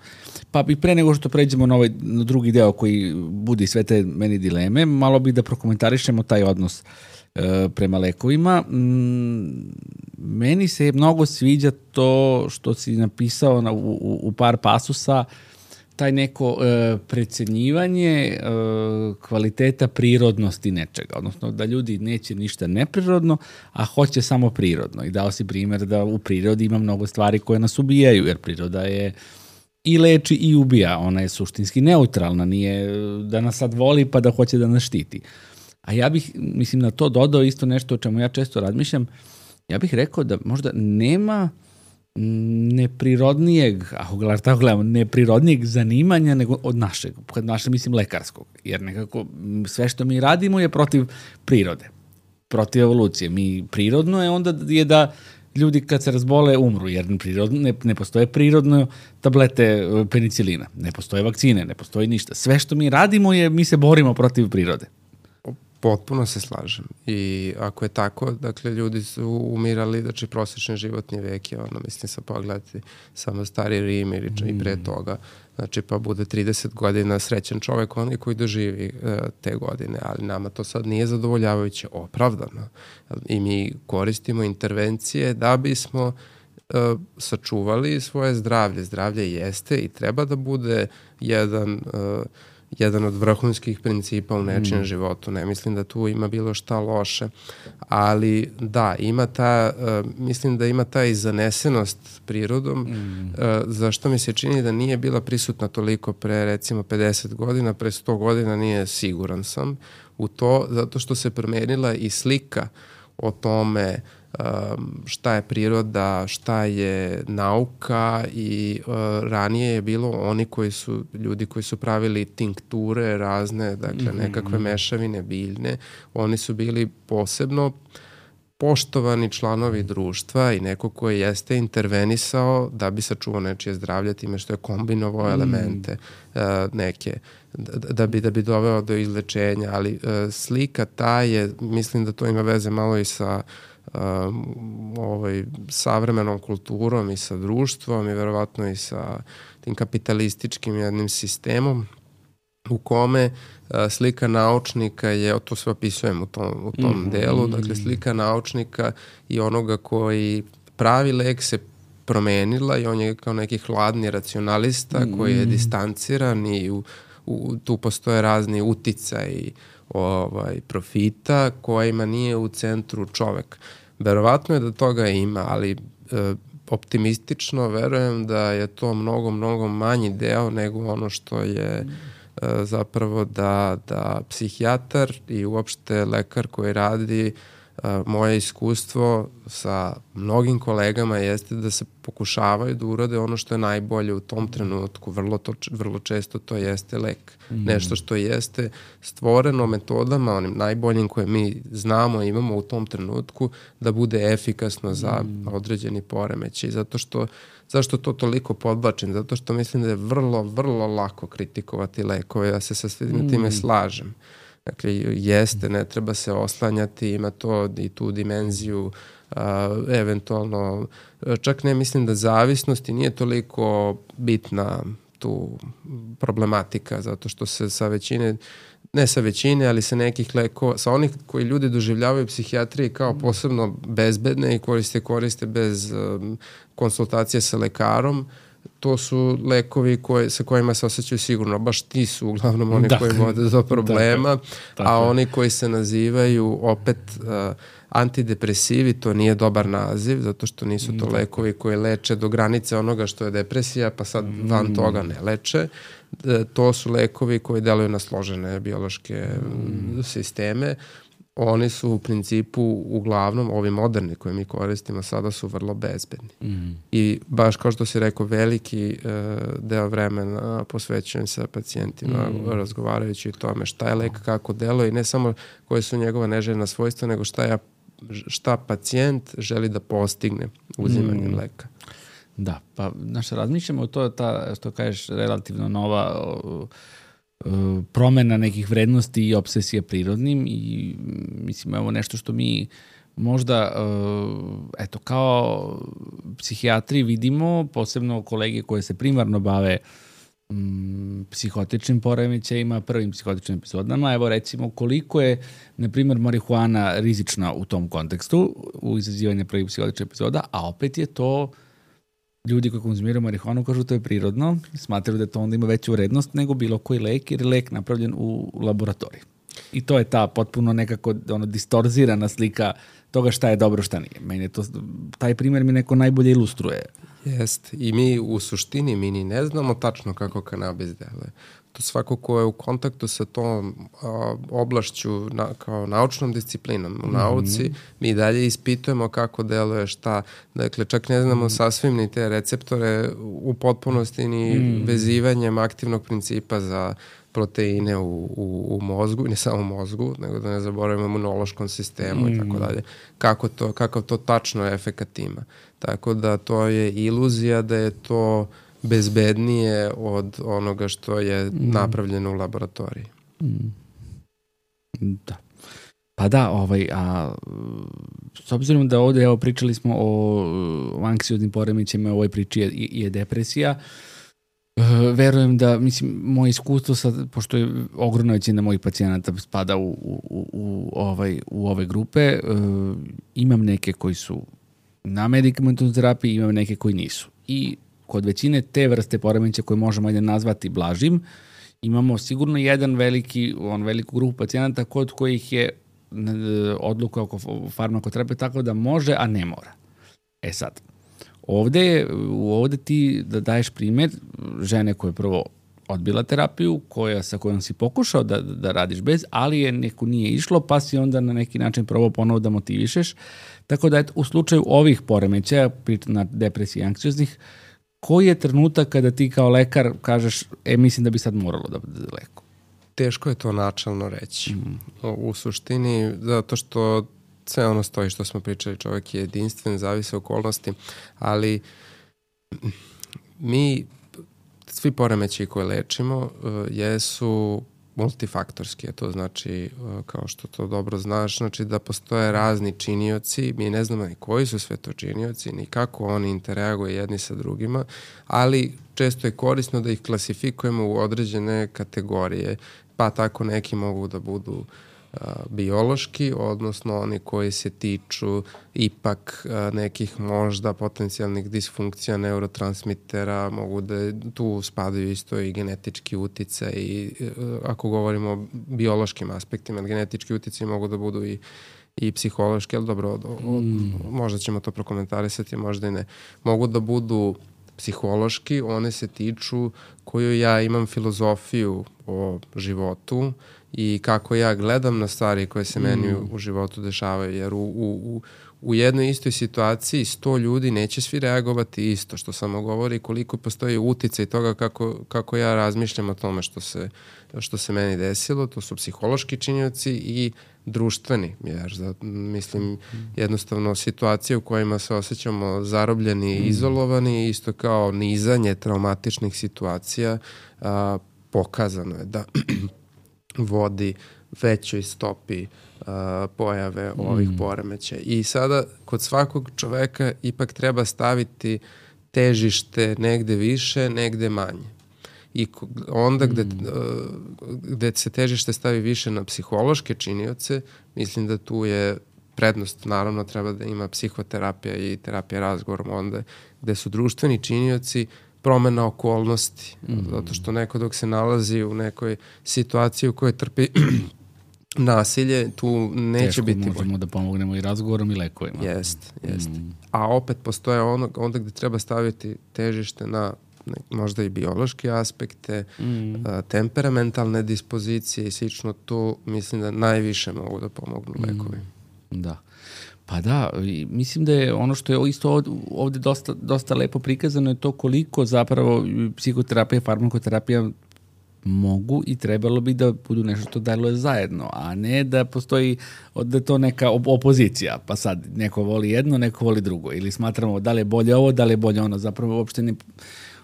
[SPEAKER 1] Pa i pre nego što pređemo na drugi deo koji budi sve te meni dileme, malo bih da prokomentarišemo taj odnos prema lekovima. Meni se mnogo sviđa to što si napisao u par pasusa taj neko precenjivanje kvaliteta prirodnosti nečega, odnosno da ljudi neće ništa neprirodno, a hoće samo prirodno. I dao si primjer da u prirodi ima mnogo stvari koje nas ubijaju, jer priroda je i leči i ubija, ona je suštinski neutralna, nije da nas sad voli pa da hoće da nas štiti. A ja bih, mislim, na to dodao isto nešto o čemu ja često razmišljam. Ja bih rekao da možda nema neprirodnijeg, ako tako gledamo, neprirodnijeg zanimanja nego od našeg. Kad naše mislim lekarskog. Jer nekako sve što mi radimo je protiv prirode. Protiv evolucije. Mi prirodno je onda je da ljudi kad se razbole umru, jer ne postoje prirodno tablete penicilina. Ne postoje vakcine, ne postoji ništa. Sve što mi radimo je mi se borimo protiv prirode.
[SPEAKER 2] Potpuno se slažem. I ako je tako, dakle, ljudi su umirali, znači prosječni životni vek je, mislim, sad pogledati samo stari Rim ili i pre toga, znači pa bude 30 godina srećan čovek, onaj koji doživi te godine, ali nama to sad nije zadovoljavajuće, opravdano. I mi koristimo intervencije da bismo sačuvali svoje zdravlje. Zdravlje jeste i treba da bude jedan od vrhunskih principa u nečijem životu. Ne mislim da tu ima bilo šta loše, ali da, mislim da ima ta zanesenost prirodom, zašto mi se čini da nije bila prisutna toliko pre recimo 50 godina, pre 100 godina nije, siguran sam u to, zato što se promenila i slika o tome šta je priroda, šta je nauka i ranije je bilo ljudi koji su pravili tinkture razne, dakle nekakve mešavine biljne, oni su bili posebno poštovani članovi društva i neko koji jeste intervenisao da bi sačuvao nečije zdravlje time što je kombinovao elemente neke, da bi doveo do izlečenja, ali slika ta je, mislim da to ima veze malo i sa savremenom kulturom i sa društvom i verovatno i sa tim kapitalističkim jednim sistemom u kome slika naučnika je, to sve opisujem u tom delu, dakle slika naučnika i onoga koji pravi lek se promenila i on je kao neki hladni racionalista koji je distanciran i tu postoje razni uticaji profita kojima nije u centru čovek. Verovatno je da toga ima, ali optimistično verujem da je to mnogo, mnogo manji deo nego ono što je zapravo da psihijatar i uopšte lekar koji radi, moje iskustvo sa mnogim kolegama jeste da se pokušavaju da urade ono što je najbolje u tom trenutku. Vrlo često to jeste lek. Nešto što jeste stvoreno metodama, onim najboljim koje mi znamo i imamo u tom trenutku, da bude efikasno za određeni poremećaj. Zašto to toliko podbačim? Zato što mislim da je vrlo, vrlo lako kritikovati lekove. Ja se sa svim time slažem. Dakle, jeste, ne treba se oslanjati, ima to i tu dimenziju, eventualno, čak ne mislim da zavisnosti nije toliko bitna tu problematika, zato što se sa većine, ne sa većine, ali sa nekih lekova, sa onih koji ljudi doživljavaju psihijatriji kao posebno bezbedne i koriste bez konsultacije sa lekarom, to su lekovi sa kojima se osjećaju sigurno. Baš ti su uglavnom oni koji vode do problema, a oni koji se nazivaju opet antidepresivi, to nije dobar naziv, zato što nisu to lekovi koji leče do granice onoga što je depresija, pa sad van toga ne leče. To su lekovi koji deluju na složene biološke sisteme. Oni su u principu uglavnom, ovi moderni koje mi koristimo sada su vrlo bezbedni. I baš kao što si rekao, veliki deo vremena posvećujem sa pacijentima razgovarajući o tome šta je lek, kako deluje i ne samo koje su njegova neželjena svojstva, nego šta pacijent želi da postigne uzimanjem leka.
[SPEAKER 1] Da, pa razmišljamo o to, što kažeš, relativno nova promena nekih vrednosti i obsesija prirodnim i mislim evo nešto što mi možda kao psihijatri vidimo, posebno kolege koje se primarno bave psihotičnim poremećajima, prvim psihotičnim epizodama, evo recimo koliko je na primjer marihuana rizična u tom kontekstu u izazivanju prvih psihotičnih epizoda, a opet je to ljudi koji konzumiraju marihuanu kažu to je prirodno, smatraju da to onda ima veću vrednost nego bilo koji lek, jer je lek napravljen u laboratoriji. I to je ta potpuno nekako distorzirana slika toga šta je dobro, šta nije. Meni je to, taj primjer mi neko najbolje ilustruje.
[SPEAKER 2] Jeste. I mi u suštini ni ne znamo tačno kako kanabis deluje. To svako ko je u kontaktu sa tom oblašću kao naučnom disciplinom u nauci, mi dalje ispitujemo kako deluje šta. Dakle, čak ne znamo sasvim ni te receptore u potpunosti ni vezivanjem aktivnog principa za proteine u mozgu, ne samo u mozgu, nego da ne zaboravimo imunološkom sistemu i tako dalje. Kakav to tačno efekat ima. Tako da to je iluzija da je to bezbednije od onoga što je napravljeno u laboratoriji.
[SPEAKER 1] Da. Pa da, s obzirom da ovde, evo, pričali smo o anksioznim poremećajima, u ovoj priči je depresija, verujem da, mislim, moje iskustvo sad, pošto je ogromna većina mojih pacijenata spada u ove grupe, imam neke koji su na medikamentovnoj terapiji, imam neke koji nisu. I kod većine te vrste poremećaja koje možemo da nazvati blažim, imamo sigurno veliku grupu pacijenata kod kojih je odluka oko farmakoterapije tako da može, a ne mora. E sad, ovde ti da daješ primjer žene koja je prvo odbila terapiju, sa kojom si pokušao da radiš bez, ali je neko nije išlo, pa si onda na neki način probao ponovo da motivišeš. Tako da u slučaju ovih poremećaja, na depresiji anksioznih, koji je trenutak kada ti kao lekar kažeš, mislim da bi sad moralo da bude leko?
[SPEAKER 2] Teško je to načalno reći. U suštini, zato što sve ono stoji što smo pričali, čovjek je jedinstven, zavise okolnosti, ali svi poremećaji koje lečimo jesu multifaktorski, to znači, kao što to dobro znaš, znači da postoje razni činioci, mi ne znamo ni koji su sve to činioci, ni kako oni interaguju jedni sa drugima, ali često je korisno da ih klasifikujemo u određene kategorije, pa tako neki mogu da budu biološki, odnosno oni koji se tiču ipak nekih možda potencijalnih disfunkcija neurotransmitera, mogu da tu spadaju isto i genetički uticaj i ako govorimo o biološkim aspektima, genetički uticaj mogu da budu i psihološki, ali dobro, možda ćemo to prokomentarisati, možda i ne. Mogu da budu psihološki, one se tiču koju ja imam filozofiju o životu i kako ja gledam na stvari koje se meni u životu dešavaju, jer u jednoj istoj situaciji 100 ljudi neće svi reagovati isto, što samo govori koliko postoji uticaj toga kako ja razmišljam o tome što se meni desilo. To su psihološki činioci i društveni, jer mislim jednostavno situacije u kojima se osjećamo zarobljeni i izolovani, isto kao nizanje traumatičnih situacija, pokazano je da vodi većoj stopi pojave ovih poremećaja. I sada kod svakog čoveka ipak treba staviti težište negde više, negde manje. I onda gde se težište stavi više na psihološke činioce, mislim da tu je prednost, naravno treba da ima psihoterapija i terapija razgovorom, onda gde su društveni činioci promena okolnosti, zato što neko dok se nalazi u nekoj situaciji u kojoj trpi nasilje, tu neće biti bolje.
[SPEAKER 1] Možemo da pomognemo i razgovorom i lekovima.
[SPEAKER 2] Jeste. A opet postoje onda gde treba staviti težište na možda i biološke aspekte, temperamentalne dispozicije i slično, tu mislim da najviše mogu da pomognu lekovi.
[SPEAKER 1] Da. Pa da, mislim da je ono što je isto ovde dosta lepo prikazano je to koliko zapravo psihoterapija, farmakoterapija mogu i trebalo bi da budu nešto što deluje zajedno, a ne da postoji da je to neka opozicija, pa sad neko voli jedno, neko voli drugo, ili smatramo da li je bolje ovo, da li je bolje ono, zapravo uopšte ne.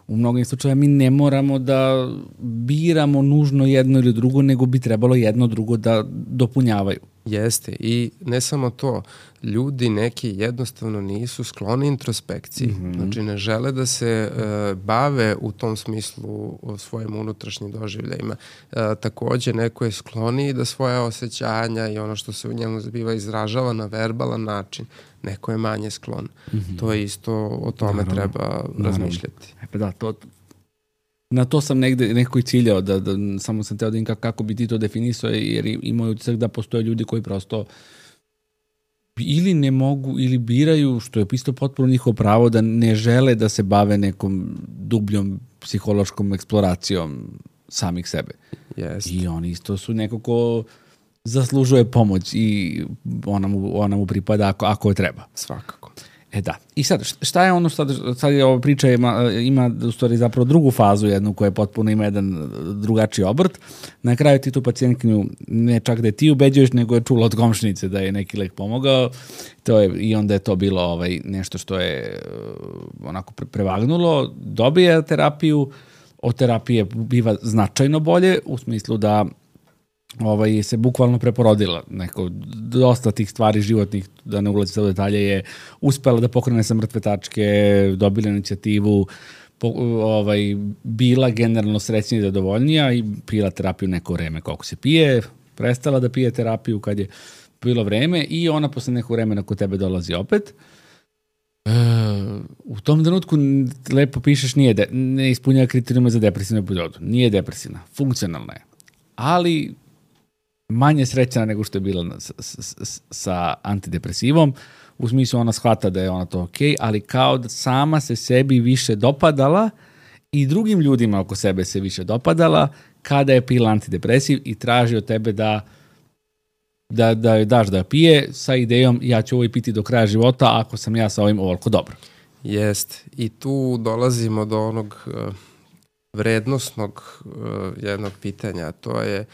[SPEAKER 1] U mnogim slučajima mi ne moramo da biramo nužno jedno ili drugo, nego bi trebalo jedno drugo da dopunjavaju.
[SPEAKER 2] Jeste, i ne samo to, ljudi neki jednostavno nisu skloni introspekciji, znači ne žele da se bave u tom smislu o svojim unutrašnjim doživljajima. Takođe, neko je skloniji da svoje osjećanja i ono što se u njemu zbiva izražava na verbalan način, neko je manje sklon. To je isto, o tome treba razmišljati.
[SPEAKER 1] Da, na to sam nekako i ciljao, da samo sam teo da im kako bi ti to definisao, jer imaju utisak da postoje ljudi koji prosto ili ne mogu ili biraju, što je isto potpuno njihovo pravo, da ne žele da se bave nekom dubljom psihološkom eksploracijom samih sebe.
[SPEAKER 2] Jest.
[SPEAKER 1] I oni isto su neko ko zaslužuje pomoć i ona mu pripada ako je treba.
[SPEAKER 2] Svakako.
[SPEAKER 1] Da. I sad, šta je ono sad je ova priča ima u stvari zapravo drugu fazu jednu koja je potpuno ima jedan drugačiji obrt. Na kraju ti tu pacijentkinju ne čak da je ti ubeđuješ, nego je čula od komšinice da je neki lek pomogao. I onda je to bilo nešto što je onako prevagnulo. Dobije terapiju, od terapije biva značajno bolje, u smislu da se bukvalno preporodila. Dosta tih stvari životnih, da ne ulazi sa detalje, je uspela da pokrene sa mrtve tačke, dobila inicijativu, bila generalno srećnija i zadovoljnija i pila terapiju neko vreme koliko se pije, prestala da pije terapiju kad je bilo vreme i ona posle neko vremena kod tebe dolazi opet. U tom trenutku lepo pišeš ne ispunjava kriterijume za depresivnu epizodu. Nije depresivna, funkcionalna je. Ali manje srećna nego što je bila sa antidepresivom, u smislu ona shvata da je ona to okej, ali kao da sama se sebi više dopadala i drugim ljudima oko sebe se više dopadala kada je pila antidepresiv i traži od tebe da joj daš da pije sa idejom ja ću ovo piti do kraja života ako sam ja sa ovim ovoliko dobro.
[SPEAKER 2] Jest. I tu dolazimo do onog vrednosnog jednog pitanja, to je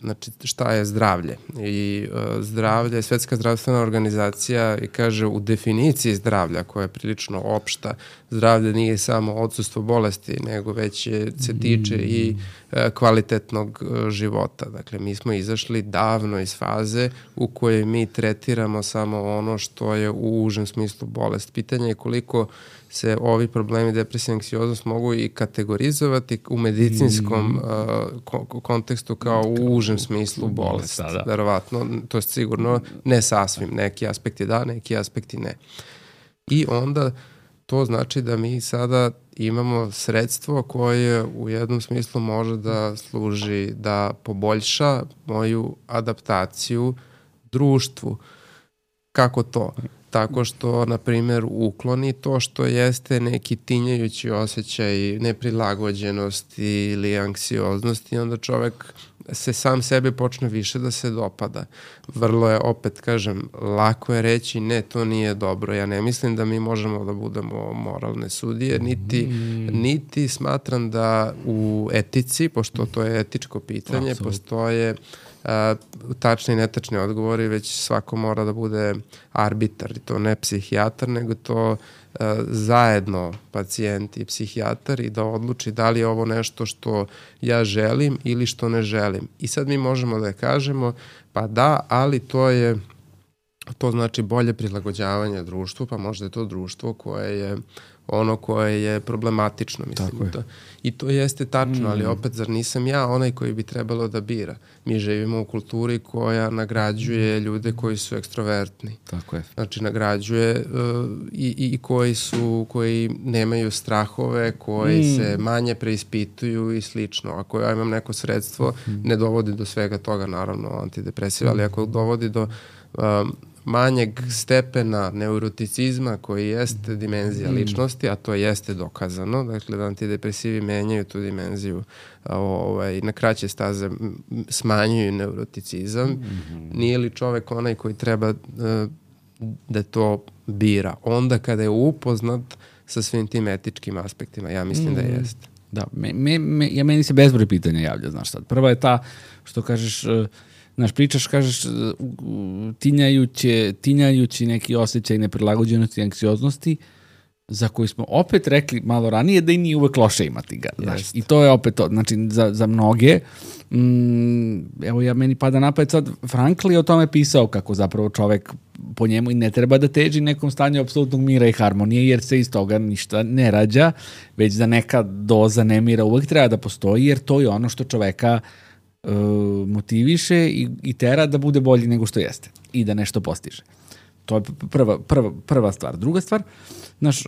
[SPEAKER 2] znači šta je zdravlje. I zdravlje, Svetska zdravstvena organizacija i kaže u definiciji zdravlja koja je prilično opšta, zdravlje nije samo odsustvo bolesti, nego već se tiče i kvalitetnog života. Dakle, mi smo izašli davno iz faze u kojoj mi tretiramo samo ono što je u užem smislu bolest. Pitanje je koliko se ovi problemi depresija i anksioznost mogu i kategorizovati u medicinskom kontekstu kao u užem smislu bolest. Verovatno, to je sigurno ne sasvim. Neki aspekti da, neki aspekti ne. I onda to znači da mi sada imamo sredstvo koje u jednom smislu može da služi da poboljša moju adaptaciju društvu. Kako to? Tako što, na primjer, ukloni to što jeste neki tinjajući osjećaj neprilagođenosti ili anksioznosti, onda čovek se sam sebe počne više da se dopada. Vrlo je, opet kažem, lako je reći ne, to nije dobro. Ja ne mislim da mi možemo da budemo moralne sudije, niti smatram da u etici, pošto to je etičko pitanje, postoje tačni i netačni odgovori, već svako mora da bude arbitar, i to ne psihijatar, nego to zajedno pacijent i psihijatar i da odluči da li je ovo nešto što ja želim ili što ne želim. I sad mi možemo da kažemo, pa da, ali to znači bolje prilagođavanje društvu, pa možda je to društvo koje je problematično, mislim. I to jeste tačno, ali opet, zar nisam ja onaj koji bi trebalo da bira? Mi živimo u kulturi koja nagrađuje ljude koji su ekstrovertni.
[SPEAKER 1] Tako je.
[SPEAKER 2] Znači, nagrađuje i koji nemaju strahove, koji se manje preispituju i slično. Ako ja imam neko sredstvo, ne dovodi do svega toga, naravno, antidepresiva, ali ako dovodi do manjeg stepena neuroticizma koji jeste dimenzija ličnosti, a to jeste dokazano, dakle da antidepresivi menjaju tu dimenziju na kraće staze, smanjuju neuroticizam. Nije li čovek onaj koji treba da to bira? Onda kada je upoznat sa svim tim etičkim aspektima, ja mislim da jeste.
[SPEAKER 1] Da, meni se bezbroj pitanja javlja, znaš sad. Prva je ta što kažeš, pričaš, kažeš, tinjajući neki osjećaj neprilagođenosti i anksioznosti, za koji smo opet rekli malo ranije da i nije uvek loše imati ga. Znaš, i to je opet to. Znači, za mnoge, evo meni pada na pamet sad, Frankl je o tome pisao kako zapravo čovek po njemu i ne treba da teži nekom stanju apsolutnog mira i harmonije, jer se iz toga ništa ne rađa, već da neka doza nemira uvek treba da postoji, jer to je ono što čoveka motiviše i tera da bude bolji nego što jeste i da nešto postiže. To je prva stvar. Druga stvar, znaš,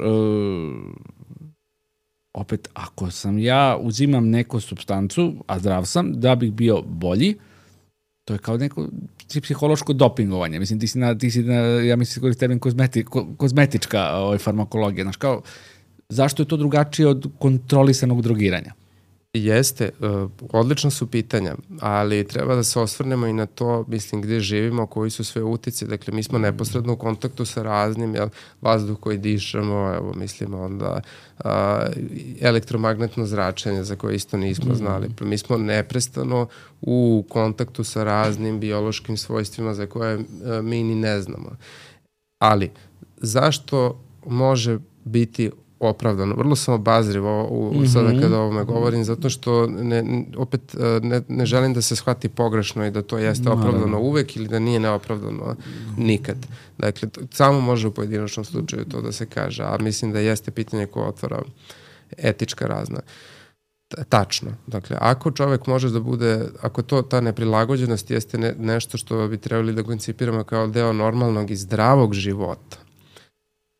[SPEAKER 1] opet, ako sam uzimam neku supstancu, a zdrav sam, da bih bio bolji, to je kao neko psihološko dopingovanje. Mislim, ti si ja mislim, koristi termin kozmetička farmakologija. Znaš, kao, zašto je to drugačije od kontrolisanog drogiranja?
[SPEAKER 2] Jeste, odlična su pitanja, ali treba da se osvrnemo i na to, mislim, gde živimo, koji su sve utice. Dakle, mi smo neposredno u kontaktu sa raznim, vazduh koji dišemo, evo, mislimo onda elektromagnetno zračenje za koje isto nismo znali. Mi smo neprestano u kontaktu sa raznim biološkim svojstvima za koje mi ni ne znamo. Ali, zašto može biti opravdano? Vrlo sam obazriv sada kada o ovome govorim, zato što ne želim da se shvati pogrešno i da to jeste opravdano uvek ili da nije neopravdano nikad. Dakle, samo može u pojedinačnom slučaju to da se kaže, a mislim da jeste pitanje koje otvara etička razna. Tačno. Dakle, ako čovek može da bude, ako ta neprilagođenost jeste nešto što bi trebali da koncipiramo kao deo normalnog i zdravog života,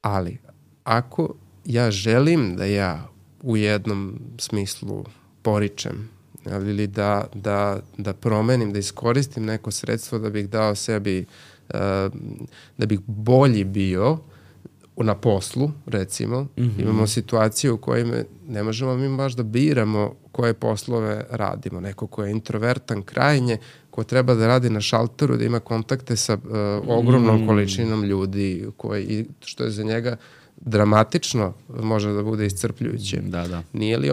[SPEAKER 2] ali ako ja želim da ja u jednom smislu poričem ili da promenim, da iskoristim neko sredstvo da bih dao sebi, da bih bolji bio na poslu, recimo. Imamo situaciju u kojoj ne možemo mi baš da biramo koje poslove radimo. Neko ko je introvertan krajnje, ko treba da radi na šalteru, da ima kontakte sa ogromnom količinom ljudi, što je za njega dramatično, može da bude iscrpljujuće.
[SPEAKER 1] Da.
[SPEAKER 2] Nije li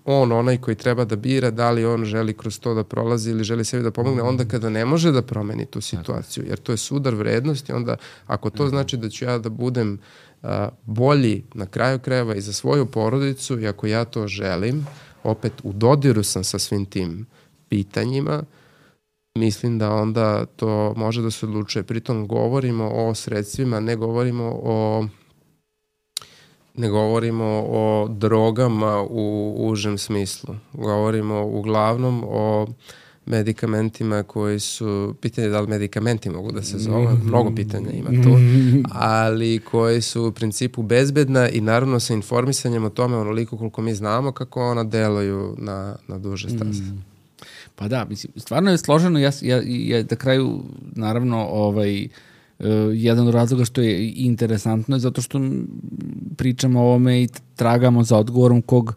[SPEAKER 2] onaj koji treba da bira da li on želi kroz to da prolazi ili želi sebi da pomogne onda kada ne može da promeni tu situaciju, jer to je sudar vrednosti. Onda ako to znači da ću ja da budem bolji na kraju krajeva i za svoju porodicu i ako ja to želim, opet u dodiru sam sa svim tim pitanjima, mislim da onda to može da se odlučuje. Pritom govorimo o sredstvima, ne govorimo o drogama u užem smislu. Govorimo uglavnom o medikamentima koji su, pitanje da li medikamenti mogu da se zove, mnogo pitanja ima tu, ali koji su u principu bezbedna i naravno sa informisanjem o tome onoliko koliko mi znamo kako ona deluju na duže staze.
[SPEAKER 1] Pa da, mislim, stvarno je složeno. Ja na kraju, naravno, jedan od razloga što je interesantno je zato što pričamo o ovome i tragamo za odgovorom kog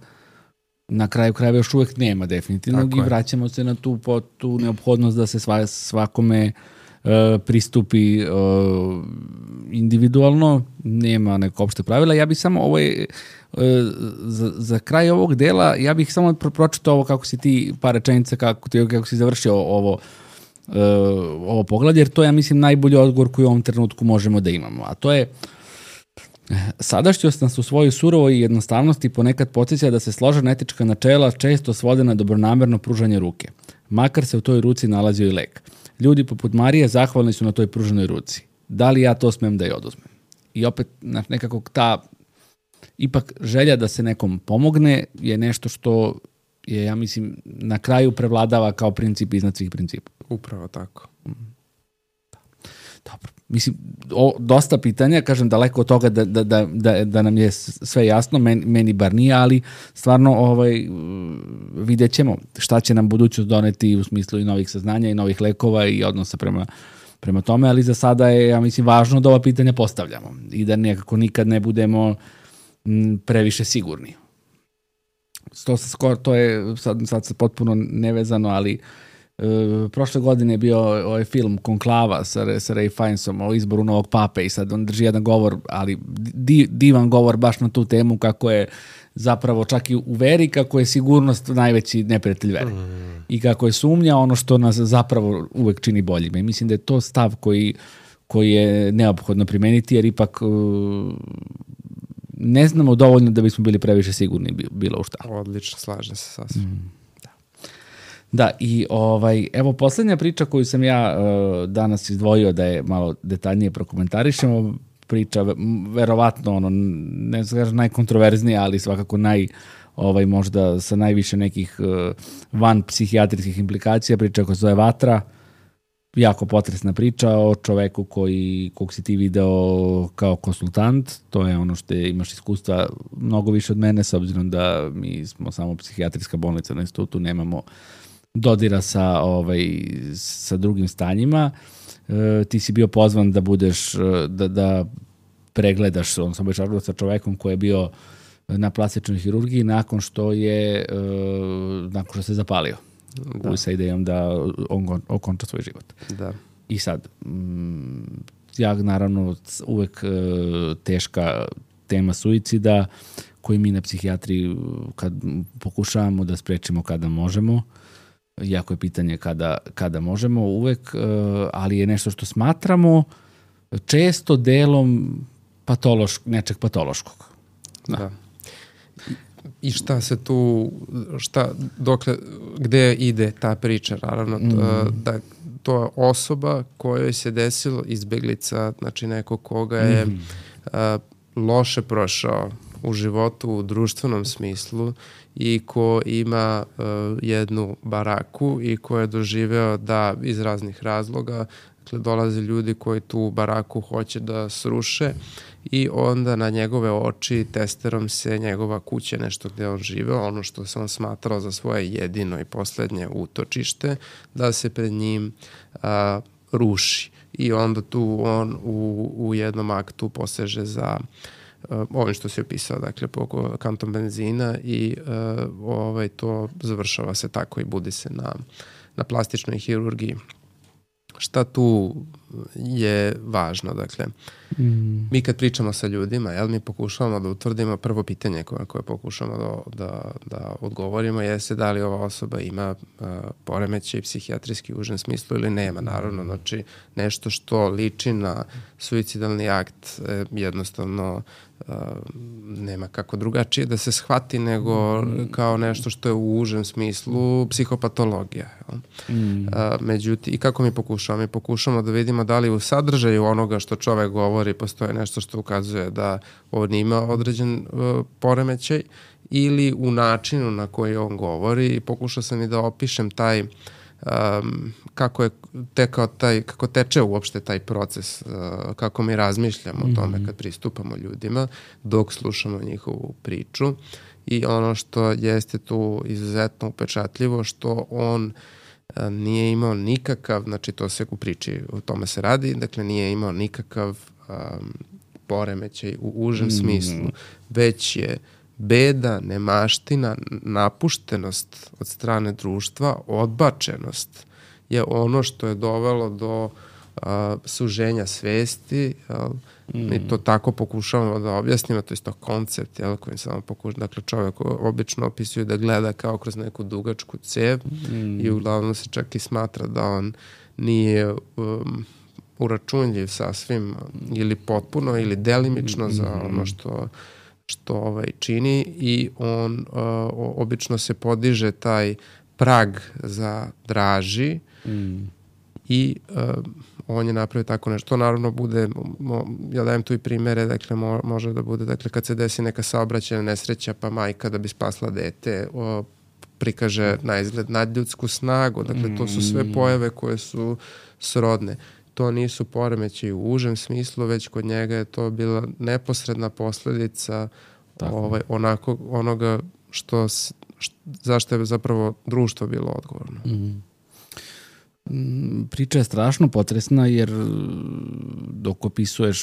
[SPEAKER 1] na kraju krajeva još uvek nema definitivno i vraćamo se na tu neophodnost da se svakome pristupi individualno, nema neko opšte pravila. Ja bih samo za kraj ovog dela, ja bih samo pročitao ovo kako si ti, par rečenica kako si završio ovo poglavlje, jer to je, ja mislim, najbolji odgovor koji u ovom trenutku možemo da imamo. A to je, sadašnjost nas u svojoj surovoj jednostavnosti ponekad podsjeća da se složena etička načela često svode na dobronamerno pružanje ruke. Makar se u toj ruci nalazio i lek. Ljudi poput Marije zahvalni su na toj pruženoj ruci. Da li ja to smem da je oduzmem? I opet, nekako ta ipak želja da se nekom pomogne je nešto što je, ja mislim, na kraju prevladava kao princip iznad svih principa.
[SPEAKER 2] Upravo tako.
[SPEAKER 1] Dobro. Mislim, dosta pitanja, kažem, daleko od toga da nam je sve jasno, meni bar nije, ali stvarno vidjet ćemo šta će nam budućnost doneti u smislu i novih saznanja i novih lekova i odnosa prema tome, ali za sada je, ja mislim, važno da ova pitanja postavljamo i da nekako nikad ne budemo previše sigurni. To je sad potpuno nevezano, ali prošle godine je bio ovaj film Konklava sa Ray Fiennesom o izboru novog pape i sad on drži jedan govor, ali divan govor baš na tu temu kako je zapravo čak i u veri, kako je sigurnost najveći neprijatelj vere i kako je sumnja ono što nas zapravo uvek čini boljima. I mislim da je to stav koji je neophodno primeniti, jer ipak ne znamo dovoljno da bismo bili previše sigurni bilo u šta.
[SPEAKER 2] Odlično, slažem se sasvim.
[SPEAKER 1] Da, i evo poslednja priča koju sam ja danas izdvojio da je malo detaljnije prokomentarišemo, priča verovatno ne znam najkontroverznija, ali svakako možda sa najviše nekih van psihijatrijskih implikacija, priča koja se zove Vatra, jako potresna priča o čoveku kog si ti video kao konsultant, to je ono što imaš iskustva mnogo više od mene, s obzirom da mi smo samo psihijatrijska bolnica na institutu, nemamo dodira sa drugim stanjima. Ti si bio pozvan da budeš, da pregledaš, sam već razgovarao sa čovekom koji je bio na plastičnoj hirurgiji nakon što se zapalio. Sa idejom da on okonča svoj život.
[SPEAKER 2] Da.
[SPEAKER 1] I sad, ja naravno uvek teška tema suicida koju mi na psihijatriji kad pokušavamo da sprečimo kada možemo, jako je pitanje kada možemo uvek, ali je nešto što smatramo često delom nečeg patološkog.
[SPEAKER 2] Da. I šta se tu, gde ide ta priča, naravno, da to je osoba kojoj se desilo izbeglica, znači neko koga je loše prošao u životu, u društvenom smislu i ko ima jednu baraku i ko je doživeo da iz raznih razloga, dakle, dolaze ljudi koji tu baraku hoće da sruše i onda na njegove oči testerom se njegova kuća, nešto gde on živeo, ono što se on smatrao za svoje jedino i poslednje utočište, da se pred njim ruši. I onda tu on u jednom aktu poseže za ovim što si opisao, dakle, po kantom benzina i to završava se tako i budi se na plastičnoj hirurgiji. Šta tu je važno? Dakle, mi kad pričamo sa ljudima, mi pokušavamo da utvrdimo prvo pitanje koje pokušamo da odgovorimo jeste da li ova osoba ima poremećaj psihijatrijski u užem smislu ili nema. Naravno, znači nešto što liči na suicidalni akt jednostavno nema kako drugačije da se shvati nego kao nešto što je u užem smislu psihopatologija. Međutim, i kako mi pokušamo? Mi pokušamo da vidimo da li u sadržaju onoga što čovek govori postoje nešto što ukazuje da on ima određen poremećaj ili u načinu na koji on govori i pokušao sam i da opišem taj kako teče uopšte taj proces, kako mi razmišljamo o tome kad pristupamo ljudima dok slušamo njihovu priču i ono što jeste tu izuzetno upečatljivo što on nije imao nikakav, znači to se u priči o tome se radi, dakle nije imao nikakav poremećaj u užem smislu, već je beda, nemaština, napuštenost od strane društva, odbačenost je ono što je dovelo do suženja svesti. Mi to tako pokušavamo da objasnimo, to je to koncept kojim samo pokušamo. Dakle, čovjek obično opisuje da gleda kao kroz neku dugačku cev i uglavnom se čak i smatra da on nije uračunljiv sasvim ili potpuno ili delimično za ono što čini i on obično se podiže taj prag za draži i on je napravio tako nešto. To naravno bude, ja dajem tu i primere, dakle može da bude, dakle kad se desi neka saobraćajna nesreća pa majka da bi spasla dete prikaže na izgled nadljudsku snagu, dakle to su sve pojave koje su srodne. To nisu poremećaji u užem smislu, već kod njega je to bila neposredna posledica onoga zašto je zapravo društvo bilo odgovorno.
[SPEAKER 1] Priča je strašno potresna jer dok opisuješ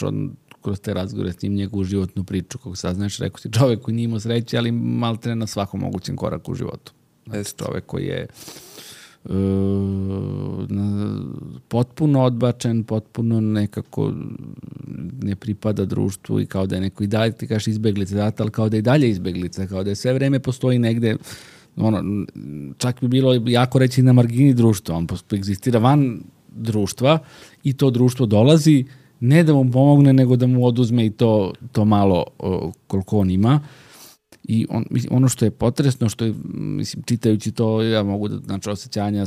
[SPEAKER 1] kroz te razgovore s njim njegovu životnu priču, kako saznaš, rekao si čovek koji nije imao sreće, ali maltene na svakom mogućem koraku u životu. Znači čovek koji je potpuno odbačen, potpuno nekako ne pripada društvu i kao da je neko i dalje, ti kažeš izbeglica, ali kao da je dalje izbeglica, kao da je sve vreme postoji negde, čak bi bilo jako reći na margini društva, on egzistira van društva i to društvo dolazi ne da mu pomogne, nego da mu oduzme i to malo koliko on ima. I ono što je potresno, što je, mislim, čitajući to, ja mogu da, znači, osjećanja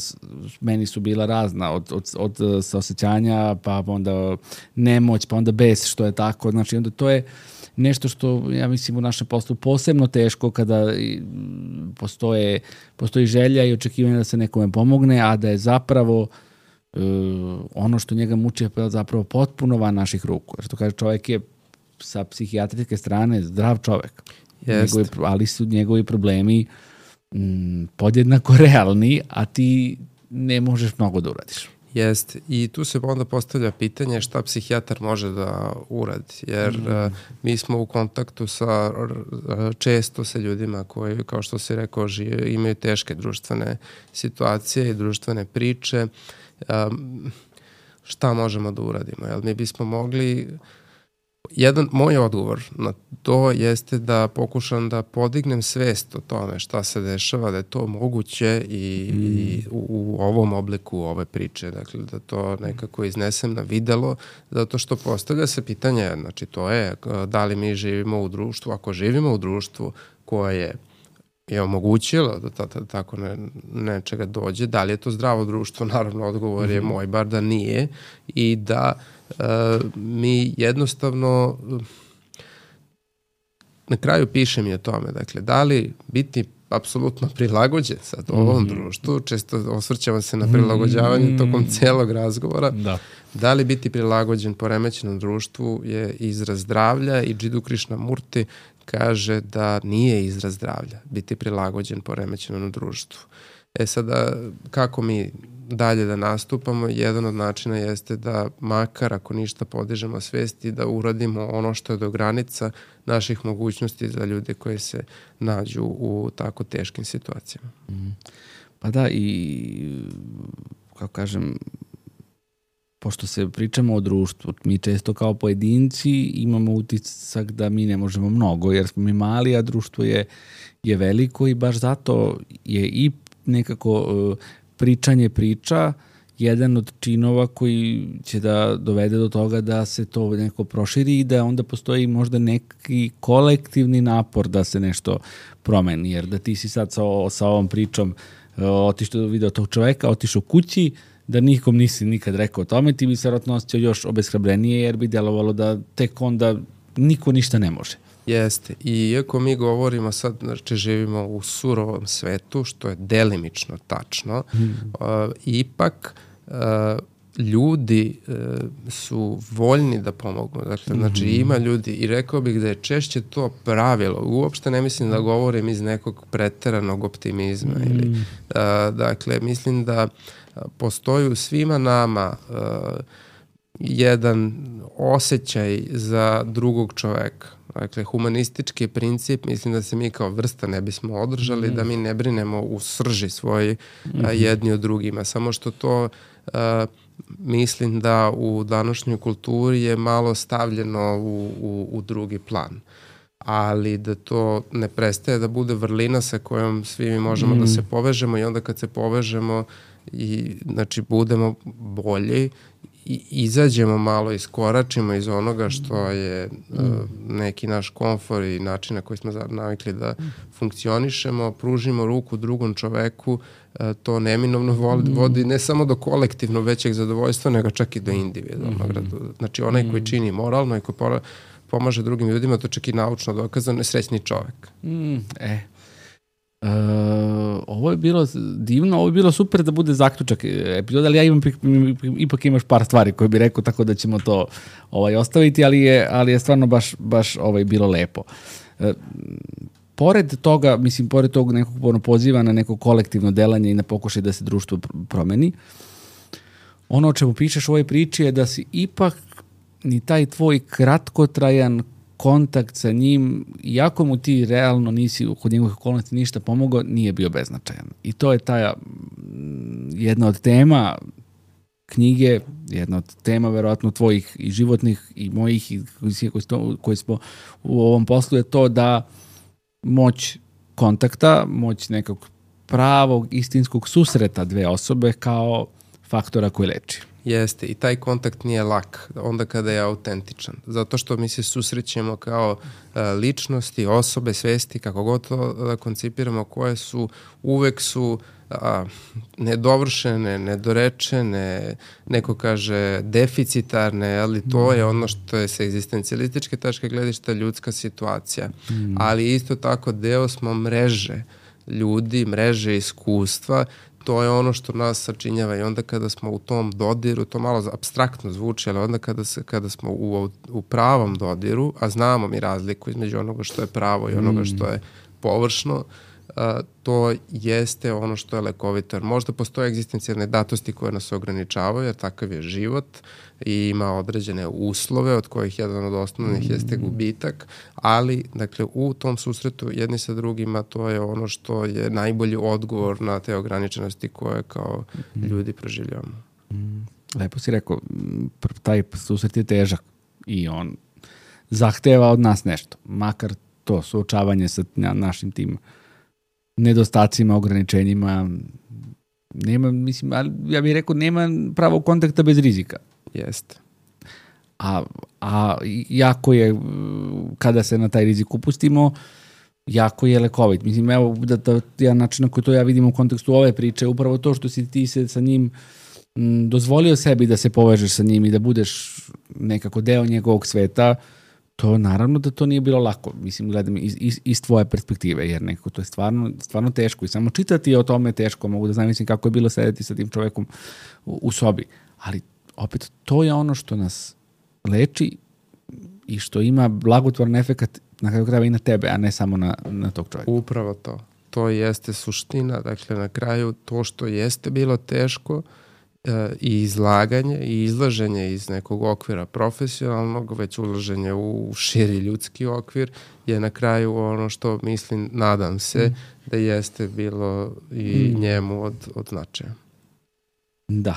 [SPEAKER 1] meni su bila razna, od saosećanja, pa onda nemoć, pa onda bes, što je tako, znači, onda to je nešto što, ja mislim, u našem poslu posebno teško kada postoji želja i očekivanje da se nekome pomogne, a da je zapravo ono što njega muči je zapravo potpuno van naših ruku. Jer to kaže, čovjek je sa psihijatrijske strane zdrav čovjek. Ali su njegovi problemi podjednako realni, a ti ne možeš mnogo da uradiš.
[SPEAKER 2] Jeste. I tu se onda postavlja pitanje šta psihijatar može da uradi. Jer mi smo u kontaktu često sa ljudima koji, kao što si rekao, imaju teške društvene situacije i društvene priče. Šta možemo da uradimo? Jel, mi bismo mogli... Moj odgovor na to jeste da pokušam da podignem svest o tome šta se dešava, da je to moguće i u ovom obliku ove priče, dakle da to nekako iznesem na videlo, zato što postavlja se pitanje, znači to je da li mi živimo u društvu, ako živimo u društvu koje je omogućilo da tako nečega dođe, da li je to zdravo društvo, naravno odgovor je moj, bar da nije, i da mi jednostavno na kraju pišem i o tome, dakle, da li biti apsolutno prilagođen sad ovom društvu, često osvrćamo se na prilagođavanje tokom celog razgovora, da li biti prilagođen poremećenom društvu je izraz zdravlja, i Jiddu Krishnamurti kaže da nije izraz zdravlja biti prilagođen poremećenom društvu. Sada, kako mi dalje da nastupamo, jedan od načina jeste da makar ako ništa podižemo svest i da uradimo ono što je do granica naših mogućnosti za ljude koji se nađu u tako teškim situacijama.
[SPEAKER 1] Pa da, i kako kažem, pošto se pričamo o društvu, mi često kao pojedinci imamo utisak da mi ne možemo mnogo, jer smo mi mali, a društvo je veliko, i baš zato je i nekako pričanje priča jedan od činova koji će da dovede do toga da se to neko proširi i da onda postoji možda neki kolektivni napor da se nešto promeni. Jer da ti si sad sa ovom pričom otišao video tog čoveka, otišao kući, da nikom nisi nikad rekao o tome, ti bi se vjerojatno osjećao još obeshrabrenije, jer bi djelovalo da tek onda niko ništa ne može.
[SPEAKER 2] Jeste. I iako mi govorimo sad, znači živimo u surovom svetu, što je delimično tačno, ipak ljudi su voljni da pomognu. Dakle, znači ima ljudi, i rekao bih da je češće to pravilo. Uopšte ne mislim da govorim iz nekog preteranog optimizma. Dakle, mislim da postoji u svima nama jedan osjećaj za drugog čoveka. Dakle, humanistički princip, mislim da se mi kao vrsta ne bismo održali, da mi ne brinemo u srži svoji jedni od drugima. Samo što to mislim da u današnjoj kulturi je malo stavljeno u drugi plan. Ali da to ne prestaje da bude vrlina sa kojom svi mi možemo da se povežemo, i onda kad se povežemo i znači budemo bolji i izađemo malo, iskoračimo iz onoga što je neki naš komfor i način na koji smo navikli da funkcionišemo, pružimo ruku drugom čoveku, to neminovno vodi ne samo do kolektivno većeg zadovoljstva, nego čak i do individualnog. Znači onaj koji čini moralno i koji pomaže drugim ljudima, to čak i naučno dokazano, je srećni čovek.
[SPEAKER 1] Ovo je bilo divno, ovo je bilo super da bude zaključak epizoda, ali ja ipak imaš par stvari koje bih rekao, tako da ćemo to ostaviti, ali je stvarno baš bilo lepo. Pored toga, mislim, pored tog nekog poziva na neko kolektivno delanje i na pokušaj da se društvo promeni, ono o čemu pišeš u ovoj priči je da si ipak ni taj tvoj kratkotrajan kontakt sa njim, iako mu ti realno nisi kod njegovih okolnosti ništa pomogao, nije bio beznačajan. I to je ta jedna od tema knjige, jedna od tema verovatno tvojih i životnih i mojih i koji smo u ovom poslu, je to da moć kontakta, moć nekog pravog istinskog susreta dve osobe kao faktora koji leči.
[SPEAKER 2] Jeste, i taj kontakt nije lak onda kada je autentičan, zato što mi se susrećemo kao ličnosti, osobe, svesti, kako god to da koncipiramo, koje su, uvek su nedovršene, nedorečene, neko kaže deficitarne, ali to je ono što je sa egzistencijalističke tačke gledišta ljudska situacija. Ali isto tako deo smo mreže ljudi, mreže iskustva, to je ono što nas sačinjava i onda kada smo u tom dodiru, to malo apstraktno zvuči, ali onda kada smo u pravom dodiru, a znamo mi razliku između onoga što je pravo i onoga što je površno, to jeste ono što je lekovito. Možda postoje egzistencijalne datosti koje nas ograničavaju, jer takav je život i ima određene uslove od kojih jedan od osnovnih jeste gubitak, ali dakle u tom susretu jedni sa drugima to je ono što je najbolji odgovor na te ograničenosti koje kao ljudi proživljavamo.
[SPEAKER 1] Lepo si rekao, taj susret je težak i on zahteva od nas nešto, makar to suočavanje sa našim tim nedostacima, ograničenjima. Nema, mislim, ja bih rekao, nema pravog kontakta bez rizika.
[SPEAKER 2] Jeste.
[SPEAKER 1] A jako je, kada se na taj rizik upustimo, jako je lekovit. Mislim, evo, ja način na koji to ja vidim u kontekstu ove priče, upravo to što si ti se sa njim dozvolio sebi da se povežeš sa njim i da budeš nekako deo njegovog sveta, to naravno da to nije bilo lako. Mislim, gledam iz tvoje perspektive, jer nekako to je stvarno teško i samo čitati o tome teško, mogu da zamislim kako je bilo sedeti sa tim čovekom u sobi. Ali opet to je ono što nas leči i što ima blagotvoran efekat na kraju krajeva i na tebe, a ne samo na tog čovjeka.
[SPEAKER 2] Upravo to. To jeste suština. Dakle, na kraju to što jeste bilo teško i izlaganje i izlaženje iz nekog okvira profesionalnog, već ulaženje u širi ljudski okvir je na kraju ono što mislim, nadam se, da jeste bilo i njemu od značaja.
[SPEAKER 1] Da.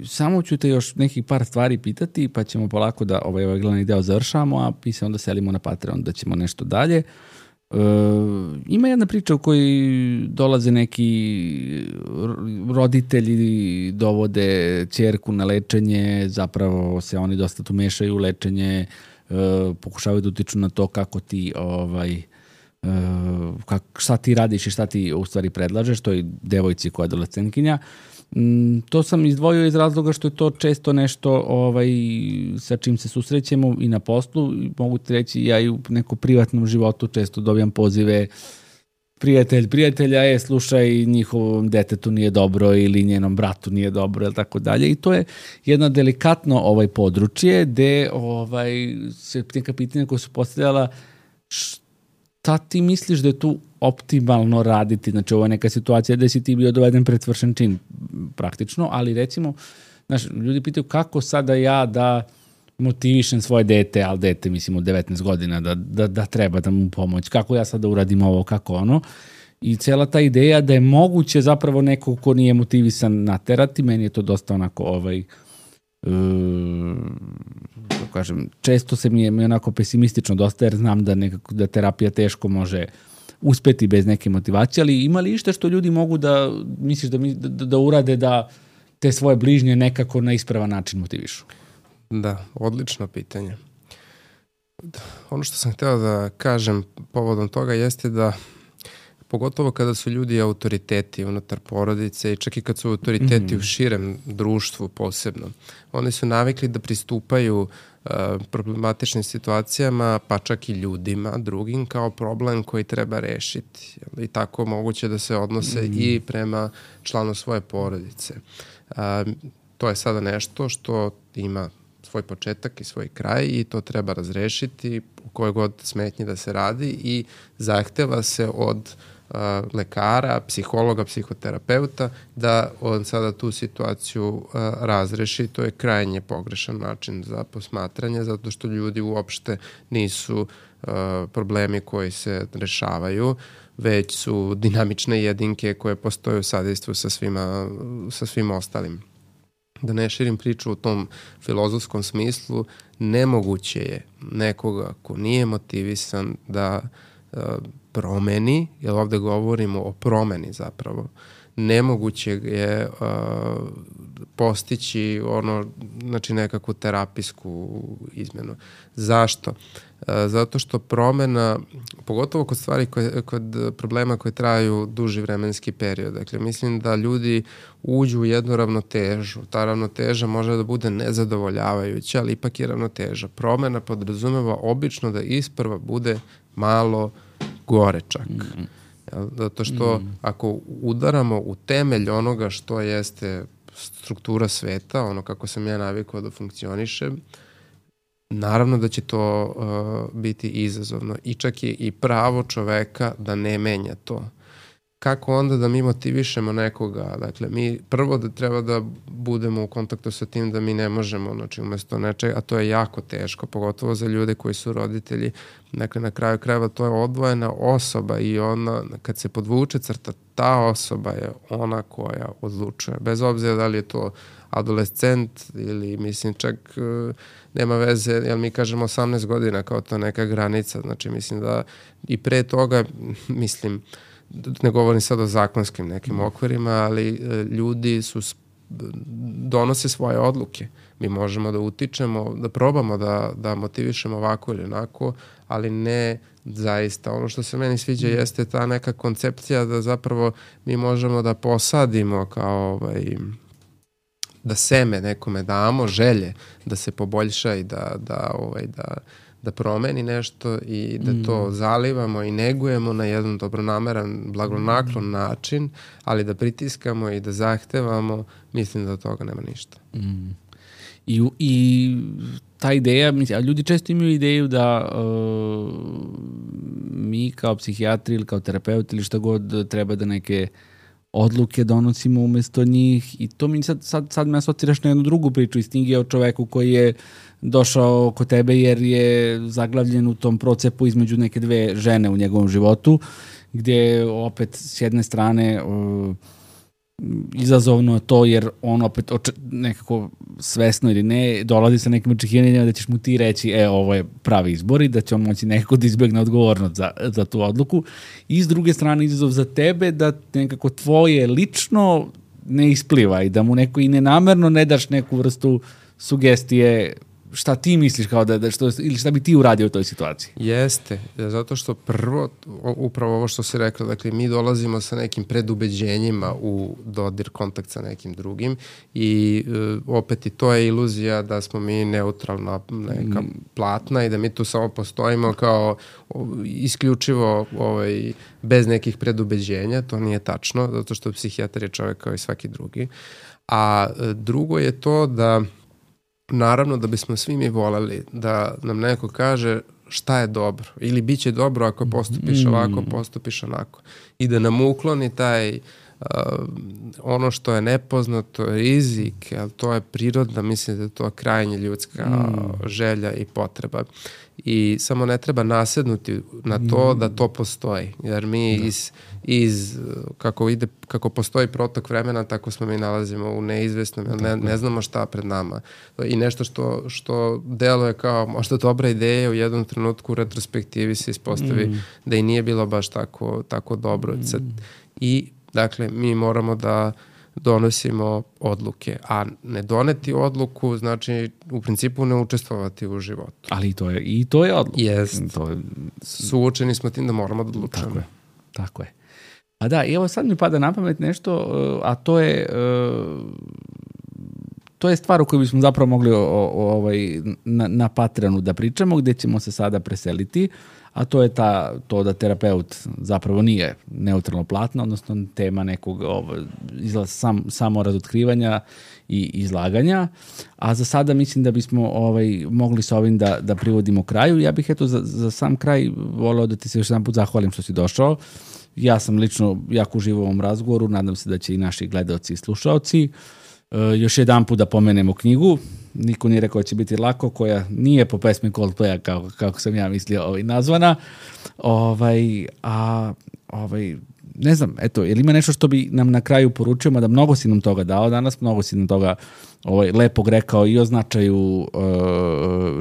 [SPEAKER 1] Samo ću te još nekih par stvari pitati, pa ćemo polako da ovaj glavni deo završamo, a mi se onda selimo na Patreon da ćemo nešto dalje. Ima jedna priča u kojoj dolaze neki roditelji, dovode ćerku na lečenje, zapravo se oni dosta tu mešaju u lečenje, pokušavaju da utiču na to kako ti šta ti radiš i šta ti u stvari predlažeš toj devojci koja je adolescentkinja. To sam izdvojio iz razloga što je to često nešto sa čim se susrećemo i na poslu. Mogu ti reći, ja i u nekom privatnom životu često dobijam pozive prijatelja, slušaj, njihovom detetu nije dobro ili njenom bratu nije dobro, ili tako dalje. I to je jedno delikatno područje gde se neka pitanja koja su postavljala šta ti misliš da je tu optimalno raditi? Znači, ovo je neka situacija gde si ti bio doveden pred svršen čin praktično, ali recimo, ljudi pitaju kako sada ja da motivišem svoje dete, ali dete, mislim, od 19 godina, da treba da mu pomoći, kako ja sada uradim ovo, kako ono. I cela ta ideja da je moguće zapravo neko ko nije motivisan naterati, meni je to dosta onako kažem, često se mi je onako pesimistično dosta, jer znam da terapija teško može uspeti bez neke motivacije, ali ima li išta što ljudi mogu da, misliš da urade da te svoje bližnje nekako na ispravan način motivišu?
[SPEAKER 2] Da, odlično pitanje. Ono što sam hteo da kažem povodom toga jeste da pogotovo kada su ljudi autoriteti unutar porodice i čak i kad su autoriteti u širem društvu posebno, oni su navikli da pristupaju problematičnim situacijama, pa čak i ljudima drugim kao problem koji treba rešiti. I tako moguće da se odnose i prema članu svoje porodice. To je sada nešto što ima svoj početak i svoj kraj i to treba razrešiti u kojoj god smetnji da se radi i zahteva se od lekara, psihologa, psihoterapeuta da on sada tu situaciju razreši. To je krajnje pogrešan način za posmatranje, zato što ljudi uopšte nisu problemi koji se rešavaju, već su dinamične jedinke koje postoje u sadejstvu sa svim ostalim. Da ne širim priču u tom filozofskom smislu, nemoguće je nekoga ko nije motivisan da promeni, jer ovde govorimo o promeni zapravo, nemoguće je postići znači nekakvu terapijsku izmenu. Zašto? Zato što promena, pogotovo kod stvari kod problema koje traju duži vremenski period, dakle mislim da ljudi uđu u jednu ravnotežu. Ta ravnoteža može da bude nezadovoljavajuća, ali ipak je ravnoteža. Promena podrazumeva obično da isprva bude malo gore čak. Zato što ako udaramo u temelj onoga što jeste struktura sveta, ono kako sam ja navikao da funkcionišem, naravno da će to biti izazovno i čak je i pravo čoveka da ne menja to. Kako onda da mi motivišemo nekoga? Dakle, mi prvo da treba da budemo u kontaktu sa tim da mi ne možemo, znači umesto nečega, a to je jako teško, pogotovo za ljude koji su roditelji. Dakle, na kraju krajeva to je odvojena osoba i ona, kad se podvuče crta, ta osoba je ona koja odlučuje. Bez obzira da li je to adolescent ili mislim čak nema veze, jer mi kažemo 18 godina kao to neka granica. Znači mislim da i pre toga, mislim, ne govorim sad o zakonskim nekim okvirima, ali ljudi donose svoje odluke. Mi možemo da utičemo, da probamo da motivišemo ovako ili onako, ali ne zaista. Ono što se meni sviđa jeste ta neka koncepcija da zapravo mi možemo da posadimo kao da seme nekome damo, želje da se poboljša i da promeni nešto i da to zalivamo i negujemo na jedan dobronameran, blagonaklon način, ali da pritiskamo i da zahtevamo, mislim da od toga nema ništa.
[SPEAKER 1] I ta ideja, mislim, a ljudi često imaju ideju da mi kao psihijatri ili kao terapeuti ili šta god treba da neke odluke donosimo umesto njih i to mi sad me asociraš na jednu drugu priču iz knjige o čoveku koji je došao kod tebe jer je zaglavljen u tom procepu između neke dve žene u njegovom životu, gdje opet s jedne strane izazovno to jer on opet nekako svesno ili ne dolazi sa nekim očekivanjima da ćeš mu ti reći ovo je pravi izbor i da će on moći nekako da izbjegne odgovornost za tu odluku i s druge strane izazov za tebe da nekako tvoje lično ne ispliva i da mu neko i nenamerno ne daš neku vrstu sugestije šta ti misliš kao ili šta bi ti uradio u toj situaciji?
[SPEAKER 2] Jeste, zato što prvo, upravo ovo što si rekla, dakle mi dolazimo sa nekim predubeđenjima u dodir, kontakt sa nekim drugim i opet i to je iluzija da smo mi neutralna neka platna i da mi tu samo postojimo kao isključivo bez nekih predubeđenja, to nije tačno, zato što psihijatar je čovjek kao i svaki drugi. A drugo je to da naravno da bismo svi mi voleli da nam neko kaže šta je dobro ili bit će dobro ako postupiš ovako, postupiš onako i da nam ukloni taj ono što je nepoznato, rizik, ali to je prirodna, mislim da je to krajnje ljudska želja i potreba i samo ne treba nasednuti na to da to postoji, jer mi kako postoji protok vremena, tako smo mi nalazimo u neizvesnom, ne znamo šta pred nama i nešto što deluje kao možda dobra ideja u jednom trenutku u retrospektivi se ispostavi da i nije bilo baš tako dobro. I dakle, mi moramo da donosimo odluke, a ne doneti odluku znači u principu ne učestvovati u životu.
[SPEAKER 1] Ali i to je odluka.
[SPEAKER 2] Jest. Suočeni smo tim da moramo da odlučujemo.
[SPEAKER 1] Tako je. A da, evo sad mi pada na pamet nešto, a to je stvar o kojoj bismo zapravo mogli na Patreonu da pričamo, gdje ćemo se sada preseliti, a to je to da terapeut zapravo nije neutralno platno, odnosno tema nekog samo razotkrivanja i izlaganja, a za sada mislim da bismo mogli s ovim da privodimo kraju. Ja bih za sam kraj voleo da ti se još jedan put zahvalim što si došao. Ja sam lično jako uživao u ovom razgovoru, nadam se da će i naši gledaoci i slušaoci. Još jedan put da pomenemo knjigu, niko nije rekao da će biti lako, koja nije po pesmi Coldplaya kako sam ja mislio nazvana. Ne znam, eto, je li ima nešto što bi nam na kraju poručio, mada mnogo si nam toga dao danas, mnogo si nam toga lepog rekao i o značaju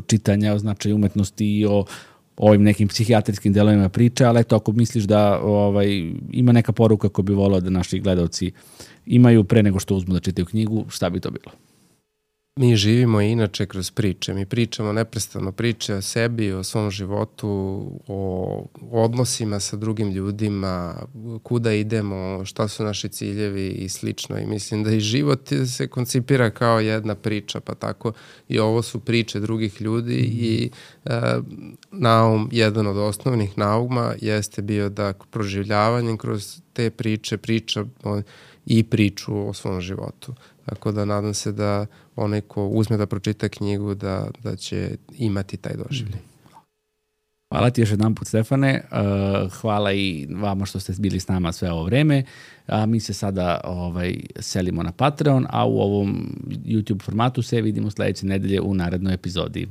[SPEAKER 1] čitanja, o značaju umetnosti i o ovim nekim psihijatrijskim delovima priče, ali eto, ako misliš da ima neka poruka koju bi volao da naši gledalci imaju pre nego što uzmu da čitaju knjigu, šta bi to bilo?
[SPEAKER 2] Mi živimo inače kroz priče. Mi pričamo neprestano priče o sebi, o svom životu, o odnosima sa drugim ljudima, kuda idemo, šta su naši ciljevi i slično. I mislim da i život se koncipira kao jedna priča, pa tako i ovo su priče drugih ljudi i naum, jedan od osnovnih nauma jeste bio da proživljavanjem kroz te priče priča i priču o svom životu. Tako da nadam se da onaj ko uzme da pročita knjigu da će imati taj doživljaj.
[SPEAKER 1] Hvala ti još jedan put, Stefane. Hvala i vama što ste bili s nama sve ovo vreme. Mi se sada selimo na Patreon, a u ovom YouTube formatu se vidimo sledeće nedelje u narednoj epizodi.